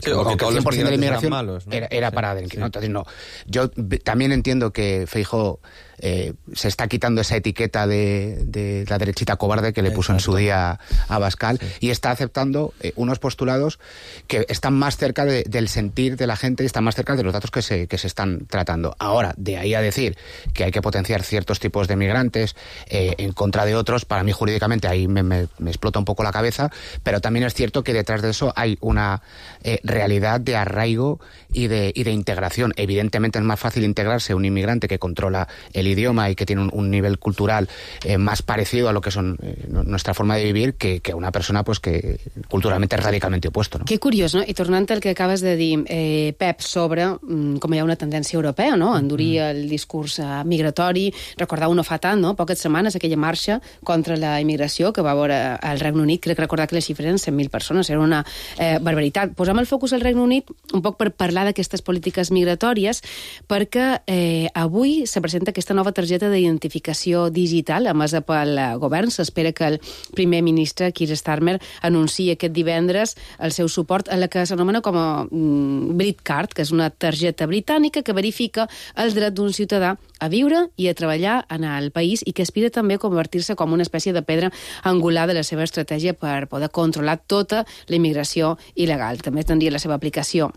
Sí, o que, que todos el cien por ciento de la inmigración malos, ¿no? era, era sí, para delinquir. sí. ¿no? Entonces, no. Yo también entiendo que Feijóo eh, se está quitando esa etiqueta de, de la derechita cobarde que le puso Exacto. en su día a Abascal, sí. y está aceptando eh, unos postulados que están más cerca de, del sentir de la gente y están más cerca de los datos que se, que se están tratando. Ahora, de ahí a decir que hay que potenciar ciertos tipos de migrantes eh, en contra de otros, para mí jurídicamente ahí me, me, me explota un poco la cabeza, pero también es cierto que detrás de eso hay una eh, realidad de arraigo y de, y de integración. Evidentemente es más fácil integrarse un inmigrante que controla el idioma y que tiene un, un nivel cultural eh, más parecido a lo que son eh, nuestra forma de vivir que, que una persona pues que culturalmente es radicalmente opuesto, ¿no? Que curiós, no? I tornant al que acabes de dir, eh, Pep, sobre mm, com hi ha una tendència europea, no?, endurir mm. el discurs eh, migratori. Recordau no fa tant, no?, poques setmanes, aquella marxa contra la immigració que va veure al Regne Unit. Crec recordar que les xifres eren cent mil persones, era una eh, barbaritat. Posem el focus al Regne Unit un poc per parlar d'aquestes polítiques migratòries, perquè eh, avui se presenta aquesta nova targeta d'identificació digital emesa pel govern. S'espera que el primer ministre, Keir Starmer, anunciï aquest divendres el seu suport a la que s'anomena com a mm, BritCard, que és una targeta britànica que verifica el dret d'un ciutadà a viure i a treballar en el país i que aspira també a convertir-se com una espècie de pedra angular de la seva estratègia per poder controlar tota la immigració il·legal. També tindria la seva aplicació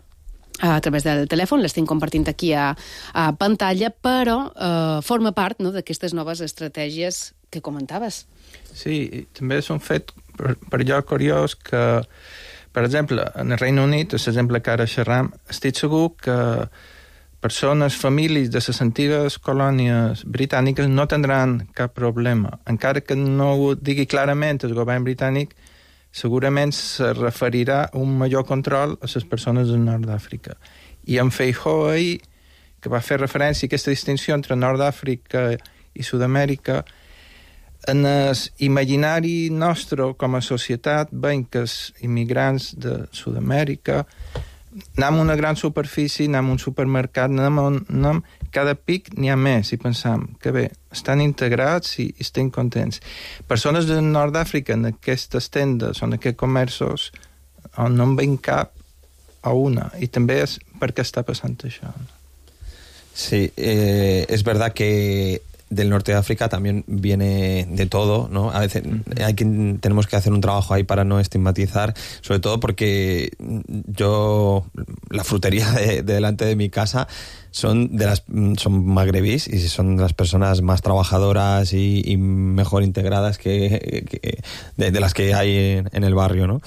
a través del telèfon, l'estem compartint aquí a, a pantalla, però eh, forma part, no?, d'aquestes noves estratègies que comentaves. Sí, també és un fet per, per allò curiós que, per exemple, en el Regne Unit, és l'exemple que ara xerram, estic segur que persones, famílies de les antigues colònies britàniques no tindran cap problema. Encara que no ho digui clarament el govern britànic, segurament se referirà a un major control a les persones del nord d'Àfrica. I en Feijóo ahir, que va fer referència a aquesta distinció entre Nord d'Àfrica i Sud-amèrica, en el imaginari nostre com a societat veiem que els immigrants de Sud-amèrica anem a una gran superfície, anem a un supermercat, anem a un, anem, cada pic n'hi ha més i pensam que bé, estan integrats i, i estem contents. Persones del Nord d'Àfrica en aquestes tendes o en aquests comerços on no en veiem cap o una, i també és per què està passant això. Sí, eh, es verdad que del norte de África también viene de todo, ¿no? A veces hay que, tenemos que hacer un trabajo ahí para no estigmatizar, sobre todo porque yo, la frutería de, de delante de mi casa son de las son magrebís y son de las personas más trabajadoras y, y mejor integradas que, que de, de las que hay en, en el barrio, ¿no?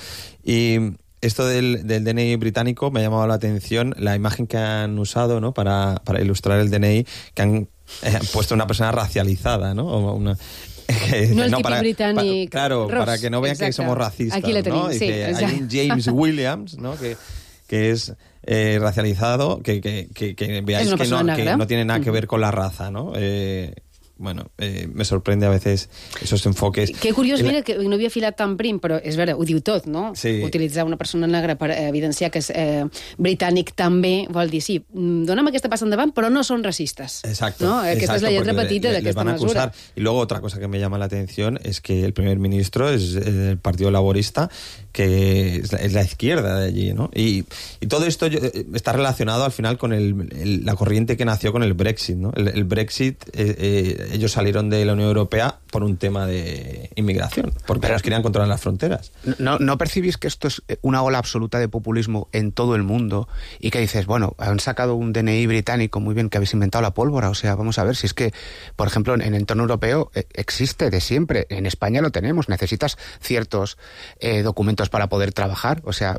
Y esto del, del D N I británico me ha llamado la atención la imagen que han usado, ¿no? Para, para ilustrar el D N I, que han eh, puesto una persona racializada, ¿no? O una, que, no el no, para, britànic. Pa, claro, Ross, para que no vean exacte. Que somos racistas. Aquí le tenim, ¿no? sí. Dice, hay un James Williams, ¿no? Que, que es eh, racializado, que, que, que, que veáis que no, que no tiene nada que ver con la raza, ¿no? Eh, bueno, eh, me sorprende a veces esos enfoques. Que curiós, mira, que no havia filat tan prim, però és vera, ho diu tot, no? Sí. Utilitzar una persona negra per evidenciar que és eh, britànic també vol dir, sí, dona'm aquesta passa endavant, però no són racistes. Exacto. ¿no? Aquesta exacto, és la lletra le, petita le, d'aquesta mesura. Y luego otra cosa que me llama la atención es que el primer ministro es el Partido Laborista, que es la, es la izquierda de allí, ¿no? Y, y todo esto está relacionado al final con el, el, la corriente que nació con el Brexit, ¿no? El, el Brexit, eh, eh, ellos salieron de la Unión Europea por un tema de inmigración, porque ellos querían controlar las fronteras. ¿No, ¿No percibís que esto es una ola absoluta de populismo en todo el mundo? Y que dices, bueno, han sacado un D N I británico, muy bien, que habéis inventado la pólvora, o sea, vamos a ver, si es que, por ejemplo, en el entorno europeo eh, existe de siempre, en España lo tenemos, necesitas ciertos eh, documentos para poder trabajar, o sea,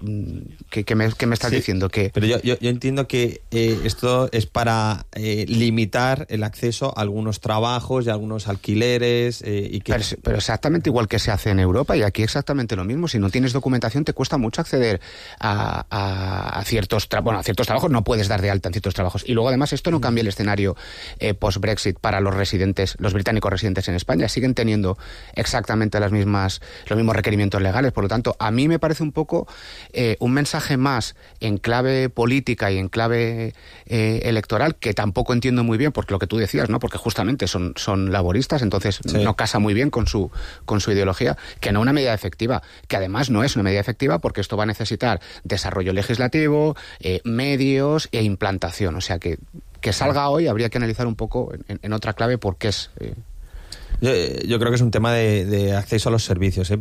¿qué, qué, me, qué me estás sí, diciendo? Que... Pero yo, yo, yo entiendo que eh, esto es para eh, limitar el acceso a algunos trabajos y a algunos alquileres. Eh, y que... pero, pero exactamente igual que se hace en Europa, y aquí exactamente lo mismo. Si no tienes documentación te cuesta mucho acceder a, a, a ciertos tra bueno, a ciertos trabajos, no puedes dar de alta en ciertos trabajos. Y luego además esto no cambia el escenario eh, post-Brexit para los residentes, los británicos residentes en España. Siguen teniendo exactamente las mismas, los mismos requerimientos legales. Por lo tanto, a mí me parece un poco eh, un mensaje más en clave política y en clave eh, electoral, que tampoco entiendo muy bien, porque lo que tú decías, ¿no? Porque justamente son, son laboristas, entonces sí. no casa muy bien con su, con su ideología, que no una medida efectiva, que además no es una medida efectiva porque esto va a necesitar desarrollo legislativo, eh, medios e implantación. O sea que, que salga hoy habría que analizar un poco en, en otra clave por qué es... Eh, Yo, yo creo que es un tema de, de acceso a los servicios. ¿eh?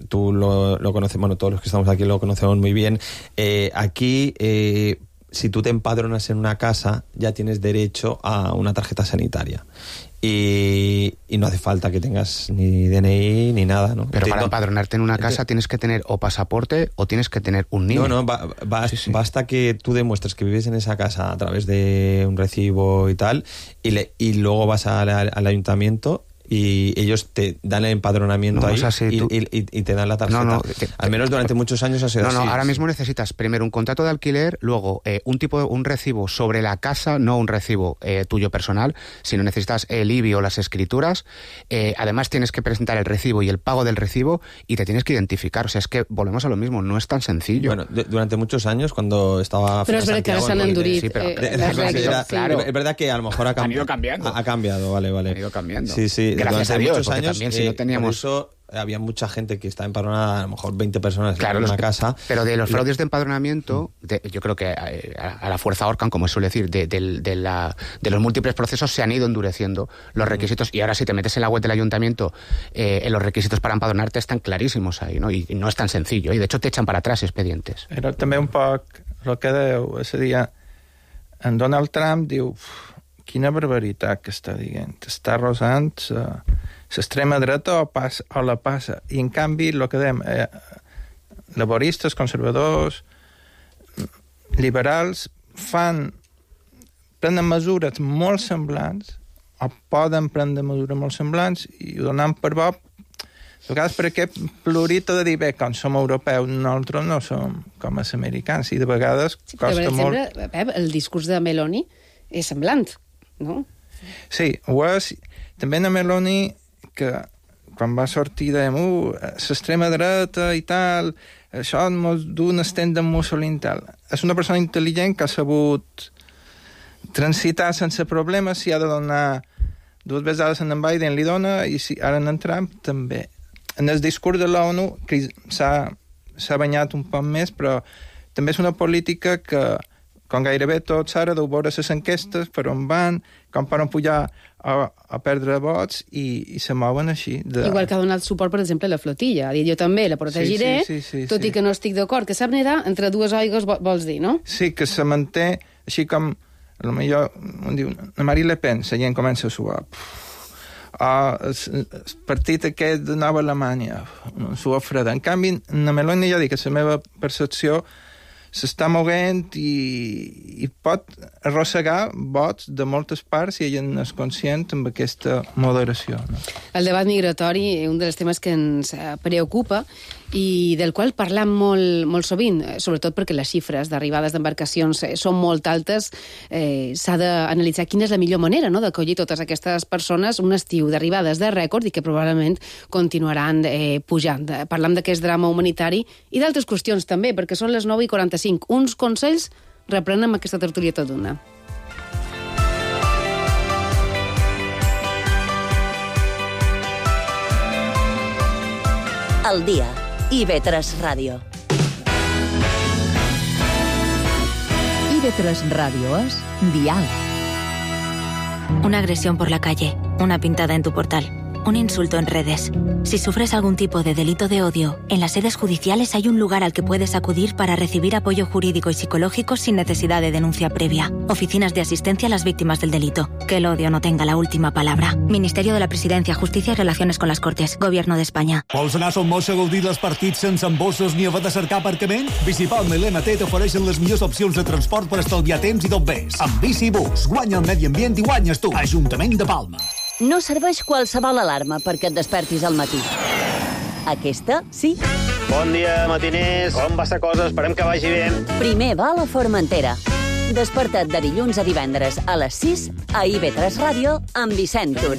Tú lo, lo conoces, bueno, todos los que estamos aquí lo conocemos muy bien. Eh, aquí, eh, si tú te empadronas en una casa, ya tienes derecho a una tarjeta sanitaria. Y, y no hace falta que tengas ni D N I ni nada, ¿no? Pero Entiendo. para empadronarte en una casa tienes que tener o pasaporte o tienes que tener un N I E. No, no, ba ba sí, sí. basta que tú demuestres que vives en esa casa a través de un recibo y tal, y, le, y luego vas a la, al ayuntamiento y ellos te dan el empadronamiento no, ahí o sea, si y, tú... y, y, y te dan la tarjeta. No, no, te, Al menos durante muchos años ha sido no, así. No, ahora mismo necesitas primero un contrato de alquiler, luego eh, un tipo un recibo sobre la casa, no un recibo eh, tuyo personal, sino necesitas el I B I o las escrituras. Eh, además tienes que presentar el recibo y el pago del recibo y te tienes que identificar. O sea, es que volvemos a lo mismo, no es tan sencillo. Bueno, de, durante muchos años cuando estaba... Pero es verdad que ahora se han endurit. Sí, pero, eh, de, las de, reglas, claro. Es verdad que a lo mejor ha, han ido cambiando. Ha, ha cambiado, vale, vale. Han ido cambiando. Sí, sí. Gracias durante a Dios, muchos años, también si no teníamos... Por eso había mucha gente que estaba empadronada, a lo mejor veinte personas claro, en una que, casa. Pero de los fraudes de empadronamiento, de, yo creo que a, a la fuerza ahorcan, como suele decir, de, de, de, la, de los múltiples procesos se han ido endureciendo los requisitos y ahora si te metes en la web del ayuntamiento, eh, en los requisitos para empadronarte están clarísimos ahí, ¿no? Y, y no es tan sencillo, y de hecho te echan para atrás expedientes. Era també un poc el que deu, és a dir, en Donald Trump diu quina barbaritat que està dient, està rosant l'extrema dreta o, pas, o la passa, i en canvi el que dèiem, eh, laboristes, conservadors, liberals, fan, prenen mesures molt semblants o poden prendre mesures molt semblants i ho donem per bo, a vegades per aquest plurito de dir, bé, com som europeus, nosaltres no som com els americans, i de vegades sí, costa però, molt... exemple, Pep, el discurs de Meloni és semblant, no? Sí, ho és. També la Meloni, que quan va sortir dèiem, uh, l'extrema dreta i tal, això mos du un estent de Mussolini i tal. És una persona intel·ligent que ha sabut transitar sense problemes, si ha de donar dues vegades en Biden li dona, i si ara en Trump també. En el discurs de l'ONU s'ha banyat un poc més, però també és una política que, com gairebé tots ara, deu veure les enquestes, per on van, com poden pujar a, a perdre vots, i, i se mouen així. De... Igual que ha donat suport, per exemple, a la flotilla. Ha dit, jo també la protegiré, sí, sí, sí, sí, tot sí. I que no estic d'acord. Que sap nedar entre dues aigües, vols dir, no? Sí, que se manté, així com, a lo millor, on diu, la Marine Le Pen, la gent comença a suar. Ah, el, el partit aquest de Nova Alemanya, suar freda. En canvi, la Meloni ja dic que la meva percepció s'està moguent i, i pot arrossegar vots de moltes parts si ella n'és conscient amb aquesta moderació. No? El debat migratori és un dels temes que ens preocupa i del qual parlam molt, molt sovint, sobretot perquè les xifres d'arribades d'embarcacions són molt altes. Eh, s'ha d'analitzar quina és la millor manera, no?, d'acollir totes aquestes persones, un estiu d'arribades de rècord i que probablement continuaran eh, pujant. Parlam d'aquest drama humanitari i d'altres qüestions també, perquè són les nou i quaranta-cinc. Uns consells reprenem aquesta tertúlia tot d'una. El dia. i ve tres Ràdio. i ve tres Radio es Dial. Una agresión por la calle, una pintada en tu portal, un insulto en redes. Si sufres algún tipo de delito de odio, en las sedes judiciales hay un lugar al que puedes acudir para recibir apoyo jurídico y psicológico sin necesidad de denuncia previa. Oficinas de asistencia a las víctimas del delito. Que el odio no tenga la última palabra. Ministerio de la Presidencia, Justicia y Relaciones con las Cortes. Gobierno de España. Vols anar a Son Moix a gaudir dels partits sense embossos ni haver de cercar aparcament? Bicipalma i l'M T t'ofereixen les millors opcions de transport per estalviar temps i tot ves. Amb Bicibus, guanya el medi ambient i guanyes tu. Ajuntament de Palma. No serveix qualsevol alarma perquè et despertis al matí. Aquesta, sí. Bon dia, matiners. Com va la cosa? Esperem que vagi bé. Primer va a la Formentera. Desperta't de dilluns a divendres a les sis a i ve tres Ràdio amb Vicent Tur.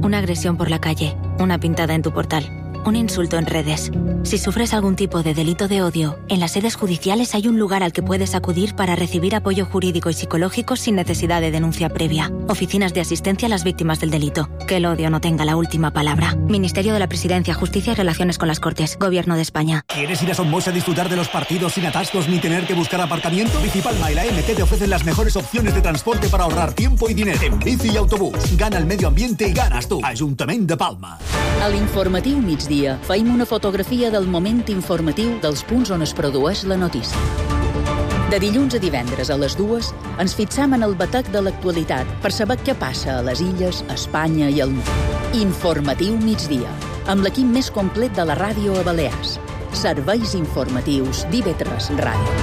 Una agresión por la calle, una pintada en tu portal, un insulto en redes. Si sufres algún tipo de delito de odio, en las sedes judiciales hay un lugar al que puedes acudir para recibir apoyo jurídico y psicológico sin necesidad de denuncia previa. Oficinas de asistencia a las víctimas del delito. Que el odio no tenga la última palabra. Ministerio de la Presidencia, Justicia y Relaciones con las Cortes. Gobierno de España. ¿Quieres ir a Son Moix a disfrutar de los partidos sin atascos ni tener que buscar aparcamiento? Bicipalma y la M T te ofrecen las mejores opciones de transporte para ahorrar tiempo y dinero. En bici y autobús. Gana el medio ambiente y ganas tú. Ajuntament de Palma. A l'informatiu migdia feim una fotografia del moment informatiu dels punts on es produeix la notícia. De dilluns a divendres a les dues ens fixam en el batec de l'actualitat per saber què passa a les illes, a Espanya i al món. Informatiu migdia, amb l'equip més complet de la ràdio a Balears. Serveis informatius d'I ve tres Ràdio.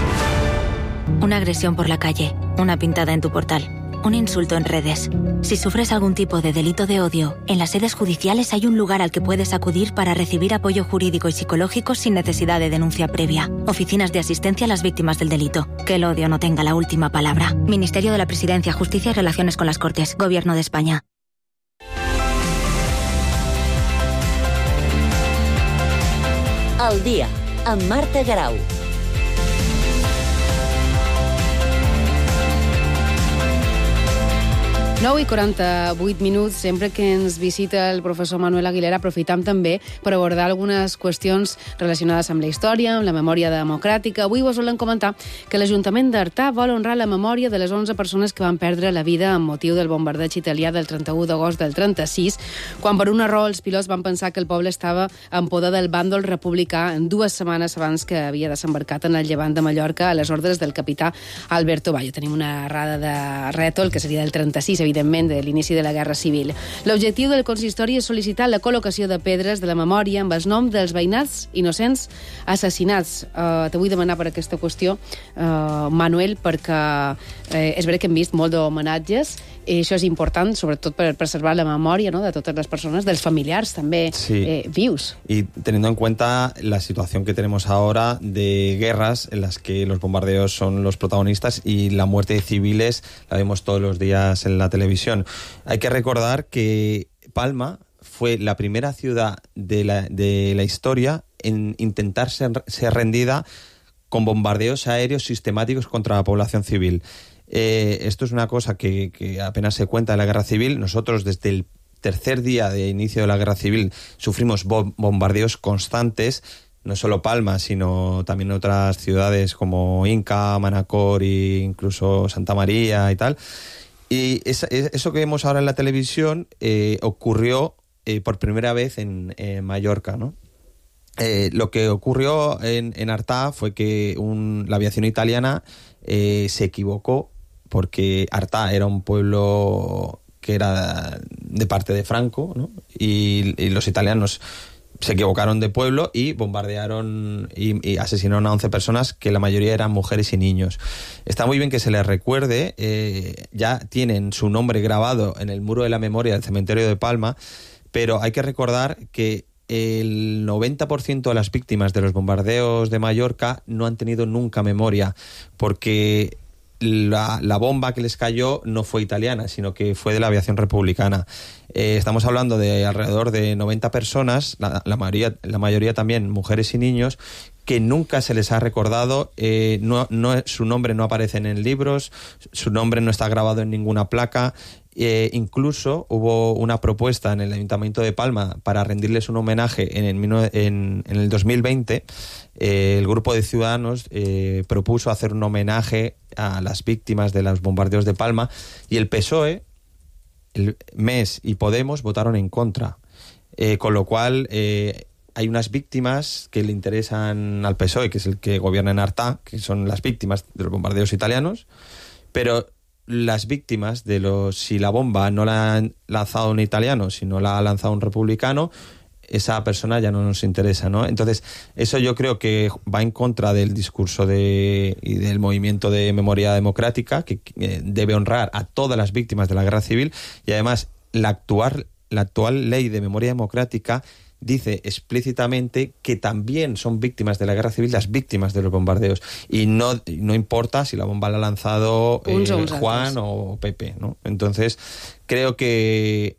Una agresión por la calle, una pintada en tu portal, un insulto en redes. Si sufres algún tipo de delito de odio, en las sedes judiciales hay un lugar al que puedes acudir para recibir apoyo jurídico y psicológico sin necesidad de denuncia previa. Oficinas de asistencia a las víctimas del delito. Que el odio no tenga la última palabra. Ministerio de la Presidencia, Justicia y Relaciones con las Cortes. Gobierno de España. El dia, amb Marta Garau. nou i quaranta-vuit minuts, sempre que ens visita el professor Manuel Aguilera, aprofitam també per abordar algunes qüestions relacionades amb la història, amb la memòria democràtica. Avui vos volem comentar que l'Ajuntament d'Artà vol honrar la memòria de les onze persones que van perdre la vida amb motiu del bombardeig italià del trenta-u d'agost del trenta-sis, quan per un error els pilots van pensar que el poble estava en poder del bàndol republicà en dues setmanes abans que havia desembarcat en el llevant de Mallorca a les ordres del capità Alberto Bayo. Tenim una errada de rètol, que seria del trenta-sis, evidentment, de l'inici de la Guerra Civil. L'objectiu del consistori és sol·licitar la col·locació de pedres de la memòria amb els noms dels veïnats innocents assassinats. Uh, te vull demanar per aquesta qüestió, uh, Manuel, perquè uh, és veritat que hem vist molt d'homenatges i això és important, sobretot per preservar la memòria, ¿no?, de totes les persones, dels familiars també sí. eh, vius. Y teniendo en cuenta la situación que tenemos ahora de guerras en las que los bombardeos son los protagonistas y la muerte de civiles la vemos todos los días en la televisión. Hay que recordar que Palma fue la primera ciudad de la, de la historia en intentar ser, ser rendida con bombardeos aéreos sistemáticos contra la población civil. Eh, esto es una cosa que, que apenas se cuenta en la guerra civil. Nosotros desde el tercer día de inicio de la guerra civil sufrimos bo- bombardeos constantes, no solo Palma, sino también otras ciudades como Inca, Manacor e incluso Santa María y tal. Y esa, eso que vemos ahora en la televisión eh, ocurrió eh, por primera vez en, en Mallorca, ¿no? Eh, lo que ocurrió en, en Artà fue que un, la aviación italiana eh, se equivocó porque Artà era un pueblo que era de parte de Franco, ¿no? y, y los italianos se equivocaron de pueblo y bombardearon y, y asesinaron a once personas, que la mayoría eran mujeres y niños. Está muy bien que se les recuerde, eh, ya tienen su nombre grabado en el muro de la memoria del cementerio de Palma, pero hay que recordar que el noventa por ciento de las víctimas de los bombardeos de Mallorca no han tenido nunca memoria, porque la, la bomba que les cayó no fue italiana, sino que fue de la aviación republicana. Eh, estamos hablando de alrededor de noventa personas, la, la, mayoría, la mayoría también mujeres y niños, que nunca se les ha recordado, eh, no, no, su nombre no aparece en libros, su nombre no está grabado en ninguna placa. Eh, incluso hubo una propuesta en el Ayuntamiento de Palma para rendirles un homenaje en el, en, en el dos mil veinte. Eh, el grupo de ciudadanos eh, propuso hacer un homenaje a las víctimas de los bombardeos de Palma, y el P S O E, el M E S y Podemos votaron en contra, eh, con lo cual eh, hay unas víctimas que le interesan al P S O E, que es el que gobierna en Artà, que son las víctimas de los bombardeos italianos, pero las víctimas de los, si la bomba no la ha lanzado un italiano, sino la ha lanzado un republicano, esa persona ya no nos interesa, ¿no? Entonces, eso yo creo que va en contra del discurso de, y del movimiento de memoria democrática, que eh, debe honrar a todas las víctimas de la guerra civil, y además la actual, la actual ley de memoria democrática dice explícitamente que también son víctimas de la guerra civil las víctimas de los bombardeos, y no, no importa si la bomba la ha lanzado eh, Juan o Pepe, ¿no? Entonces creo que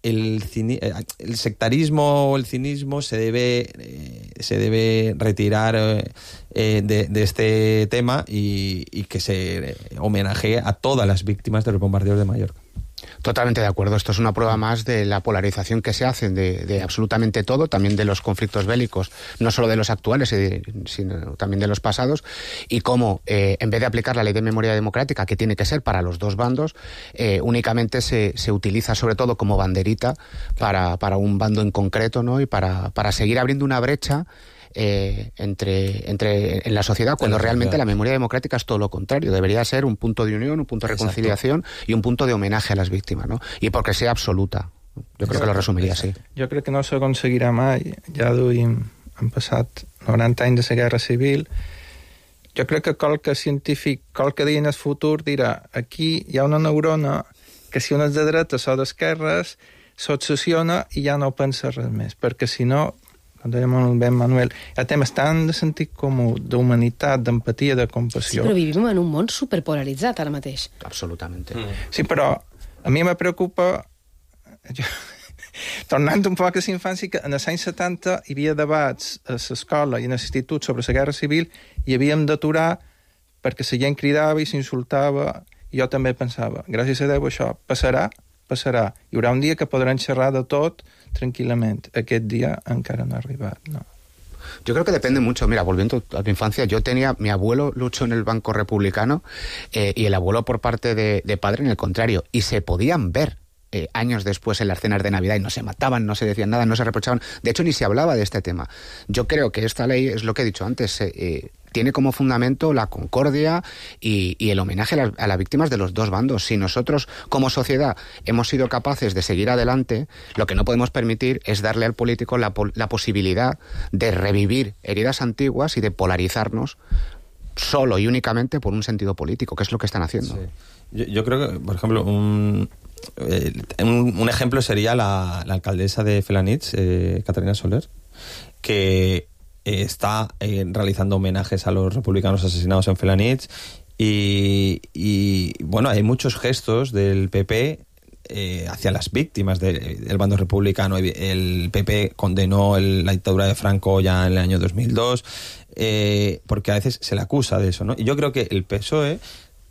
el, cini- el sectarismo o el cinismo se debe eh, se debe retirar eh, de, de este tema, y, y que se homenajee a todas las víctimas de los bombardeos de Mallorca. Totalmente de acuerdo. Esto es una prueba más de la polarización que se hace de, de absolutamente todo, también de los conflictos bélicos, no solo de los actuales, sino también de los pasados, y cómo, eh, en vez de aplicar la ley de memoria democrática, que tiene que ser para los dos bandos, eh, únicamente se, se utiliza sobre todo como banderita para, para un bando en concreto, ¿no? Y para, para seguir abriendo una brecha Eh, entre, entre en la sociedad, cuando realmente la memoria democrática es todo lo contrario. Debería ser un punto de unión, un punto de reconciliación. Exacto. Y un punto de homenaje a las víctimas, ¿no? Y porque sea absoluta. Jo Exacto. crec que lo resumiria així. Jo crec que no s'aconseguirà mai. Ja duim, han passat noranta anys de la Guerra Civil. Jo crec que qualque científic, qualque dia en el futur dirà, aquí hi ha una neurona que si una és de dretes o d'esquerres s'obsessiona i ja no pensa res més, perquè si no, com deia molt bé Manuel, hi ha temes tan de sentit comú, d'humanitat, d'empatia, de compassió. Sí, però vivim en un món superpolaritzat ara mateix. Absolutament. Mm. Sí, però a mi me preocupa, jo, tornant un poc a la infància, que en els anys setanta hi havia debats a l'escola i a l'institut sobre la guerra civil i havíem d'aturar perquè la gent cridava i s'insultava, i jo també pensava, gràcies a Déu això passarà, passarà. Hi haurà un dia que podran xerrar de tot tranquilamente. Aquest día encara no ha arribat, no. Yo creo que depende mucho. Mira, volviendo a tu infancia, yo tenía, mi abuelo luchó en el Banco Republicano eh, y el abuelo por parte de, de padre en el contrario, y se podían ver eh, años después en las cenas de Navidad y no se mataban, no se decían nada, no se reprochaban. De hecho, ni se hablaba de este tema. Yo creo que esta ley, es lo que he dicho antes, eh, tiene como fundamento la concordia y, y el homenaje a las, a las víctimas de los dos bandos. Si nosotros, como sociedad, hemos sido capaces de seguir adelante, lo que no podemos permitir es darle al político la, la posibilidad de revivir heridas antiguas y de polarizarnos solo y únicamente por un sentido político, que es lo que están haciendo. Sí. Yo, yo creo que, por ejemplo, un, eh, un, un ejemplo sería la, la alcaldesa de Felanitx, eh, Catalina Soler, que eh, está eh, realizando homenajes a los republicanos asesinados en Felanitx y, y bueno, hay muchos gestos del P P eh, hacia las víctimas de, del bando republicano. El P P condenó el, la dictadura de Franco ya en el año dos mil dos, eh, porque a veces se le acusa de eso, ¿no? Y yo creo que el P S O E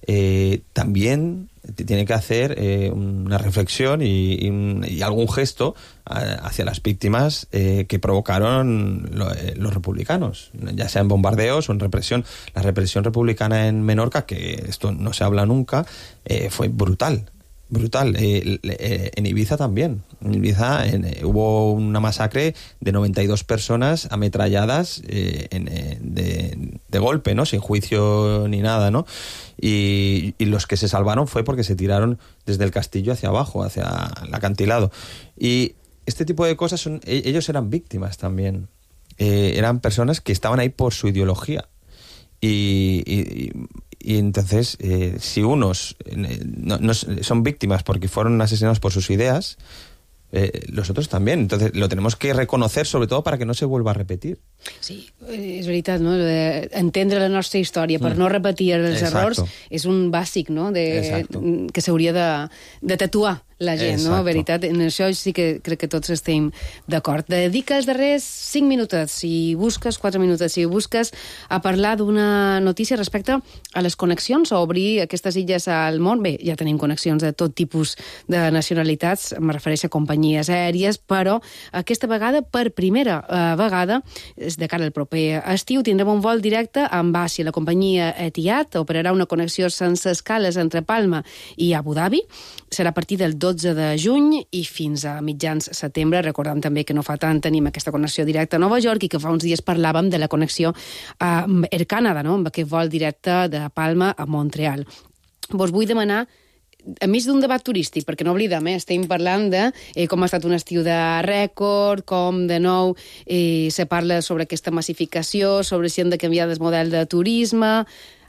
eh, también tiene que hacer eh, una reflexión y, y, y algún gesto hacia las víctimas eh, que provocaron lo, eh, los republicanos, ya sea en bombardeos o en represión. La represión republicana en Menorca, que esto no se habla nunca, eh, fue brutal. Brutal. Eh, eh, en Ibiza también. En Ibiza en, eh, hubo una masacre de noventa y dos personas ametralladas eh, en, eh, de, de golpe, ¿no? Sin juicio ni nada, ¿no? Y, y los que se salvaron fue porque se tiraron desde el castillo hacia abajo, hacia el acantilado. Y este tipo de cosas, son, ellos eran víctimas también. Eh, eran personas que estaban ahí por su ideología. Y... y, y entonces, eh, si unos eh, no, no, son víctimas porque fueron asesinados por sus ideas, eh, los otros también. Entonces, lo tenemos que reconocer, sobre todo para que no se vuelva a repetir. Sí, és veritat, no? Entendre la nostra història per Mm. no repetir els Exacto. errors és un bàsic, no? De, Exacto. que s'hauria de, de tatuar la gent, no? Exacto. Veritat, en això sí que crec que tots estem d'acord. Dedica els darrers cinc minutets, si busques, quatre minuts, si busques, a parlar d'una notícia respecte a les connexions, a obrir aquestes illes al món. Bé, ja tenim connexions de tot tipus de nacionalitats, em refereixo a companyies aèries, però aquesta vegada, per primera eh, vegada, de cara al proper estiu, tindrem un vol directe amb Asia. La companyia Etihad operarà una connexió sense escales entre Palma i Abu Dhabi. Serà a partir del dotze de juny i fins a mitjans setembre. Recordem també que no fa tant tenim aquesta connexió directa a Nova York i que fa uns dies parlàvem de la connexió a Air Canada, no? Amb aquest vol directe de Palma a Montreal. Vos vull demanar, a més d'un debat turístic, perquè no oblidem, eh, estem parlant de eh, com ha estat un estiu de rècord, com de nou eh, se parla sobre aquesta massificació, sobre si hem de canviar el model de turisme.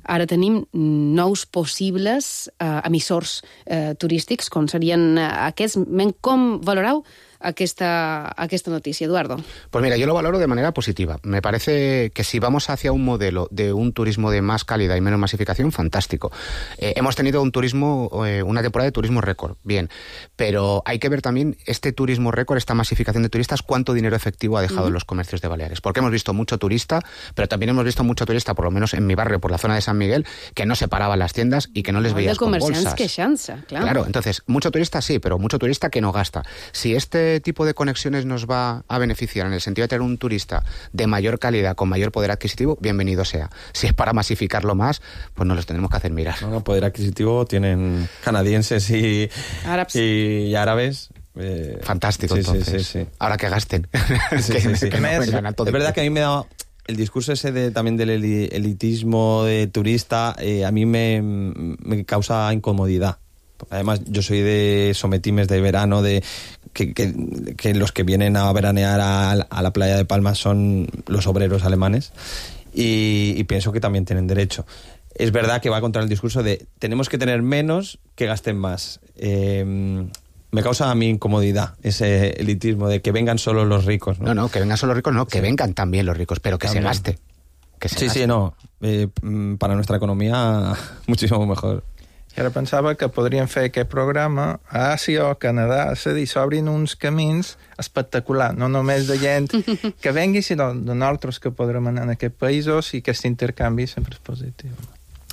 Ara tenim nous possibles eh, emissors eh, turístics, com serien eh, aquests. Com valoreu aquesta, aquesta noticia, Eduardo? Pues mira, yo lo valoro de manera positiva. Me parece que si vamos hacia un modelo de un turismo de más calidad y menos masificación, fantástico. Eh, hemos tenido un turismo, eh, una temporada de turismo récord, bien, pero hay que ver también este turismo récord, esta masificación de turistas, cuánto dinero efectivo ha dejado Uh-huh. en los comercios de Baleares. Porque hemos visto mucho turista, pero también hemos visto mucho turista, por lo menos en mi barrio, por la zona de San Miguel, que no se paraban las tiendas y que no les Hay veías de con comerciants bolsas. queixant-se, clar. Claro, entonces, mucho turista sí, pero mucho turista que no gasta. Si este tipo de conexiones nos va a beneficiar en el sentido de tener un turista de mayor calidad, con mayor poder adquisitivo, bienvenido sea. Si es para masificarlo más, pues nos los tenemos que hacer mirar. No, no, poder adquisitivo tienen canadienses y árabes. Y, y árabes. Eh, Fantástico, sí, entonces. Sí, sí, sí. Ahora que gasten. Sí, que, sí, sí. que no Es, vengan a todo es verdad el- que a mí me da el discurso ese de, también del eli- elitismo de turista, eh, a mí me, me causa incomodidad. Además, yo soy de sometimes de verano, de que, que, que los que vienen a veranear a, a la playa de Palma son los obreros alemanes y, y pienso que también tienen derecho. Es verdad que va contra el discurso de tenemos que tener menos que gasten más. Eh, me causa a mí incomodidad ese elitismo de que vengan solo los ricos, ¿no? No, no, que vengan solo los ricos, no, que Sí. vengan también los ricos, pero que También. se gaste. Que se Sí, gaste. sí, no. Eh, mm, para nuestra economía, muchísimo mejor. I ara pensava que podríem fer aquest programa a Àsia o a Canadà, és a dir, s'obrin uns camins espectaculars, no només de gent que vengui, sinó de nosaltres que podrem anar en aquests països i aquest intercanvi sempre és positiu.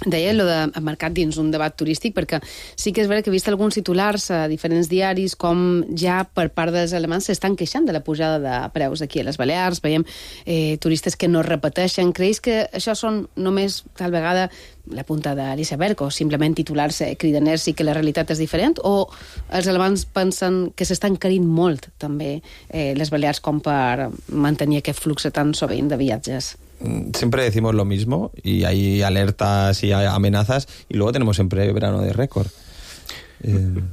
Deia allò de marcat dins un debat turístic, perquè sí que és vera que he vist alguns titulars a diferents diaris com ja per part dels alemans s'estan queixant de la pujada de preus aquí a les Balears, veiem eh, turistes que no repeteixen. Creus que això són només tal vegada la punta de l'iceberg o simplement titulars eh, cridaners i que la realitat és diferent, o els alemans pensen que s'estan carint molt també eh, les Balears com per mantenir aquest flux tan sovint de viatges? Siempre decimos lo mismo y hay alertas y hay amenazas y luego tenemos siempre verano de récord. Eh...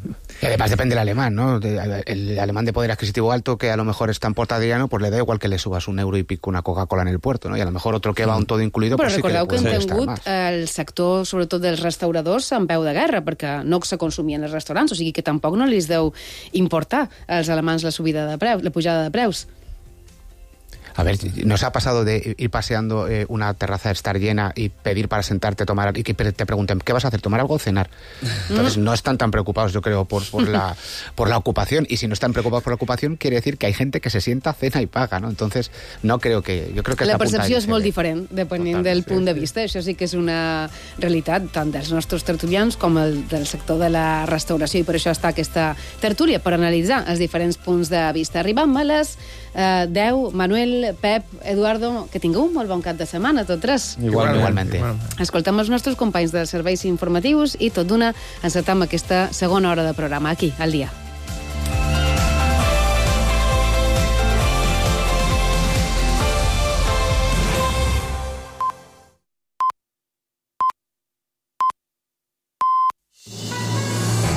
Y además depende del alemán, ¿no? El alemán de poder adquisitivo alto que a lo mejor está en Port Adriano, pues le da igual que le subas un euro y pico una Coca-Cola en el puerto, ¿no? Y a lo mejor otro que va un todo incluido, Però pues sí que le recordeu que puede hem costar tingut más. el sector, sobretot dels restauradors, en peu de guerra, perquè no se consumien els restaurants, o sigui que tampoc no li deu importar als alemans la subida de preus, la pujada de preus. A ver, nos ha pasado de ir paseando eh, una terraza estar llena y pedir para sentarte, tomar y que te pregunten, ¿qué vas a hacer? ¿Tomar algo o cenar? Entonces no están tan preocupados, yo creo, por, por, la, por la ocupación. Y si no están preocupados por la ocupación, quiere decir que hay gente que se sienta, cena y paga, ¿no? Entonces, no creo que... Yo creo que la esta percepció punta és molt diferent, depenent del punt de vista. Això sí que és una realitat tant dels nostres tertulians com el del sector de la restauració, i per això està aquesta tertúlia, per analitzar els diferents punts de vista. Arribam a les eh, deu. Manuel, Pep, Eduardo, que tingueu un molt bon cap de setmana, tots tres. Igual, igualment. Escoltem els nostres companys dels serveis informatius i tot d'una encetam aquesta segona hora de programa aquí, al dia.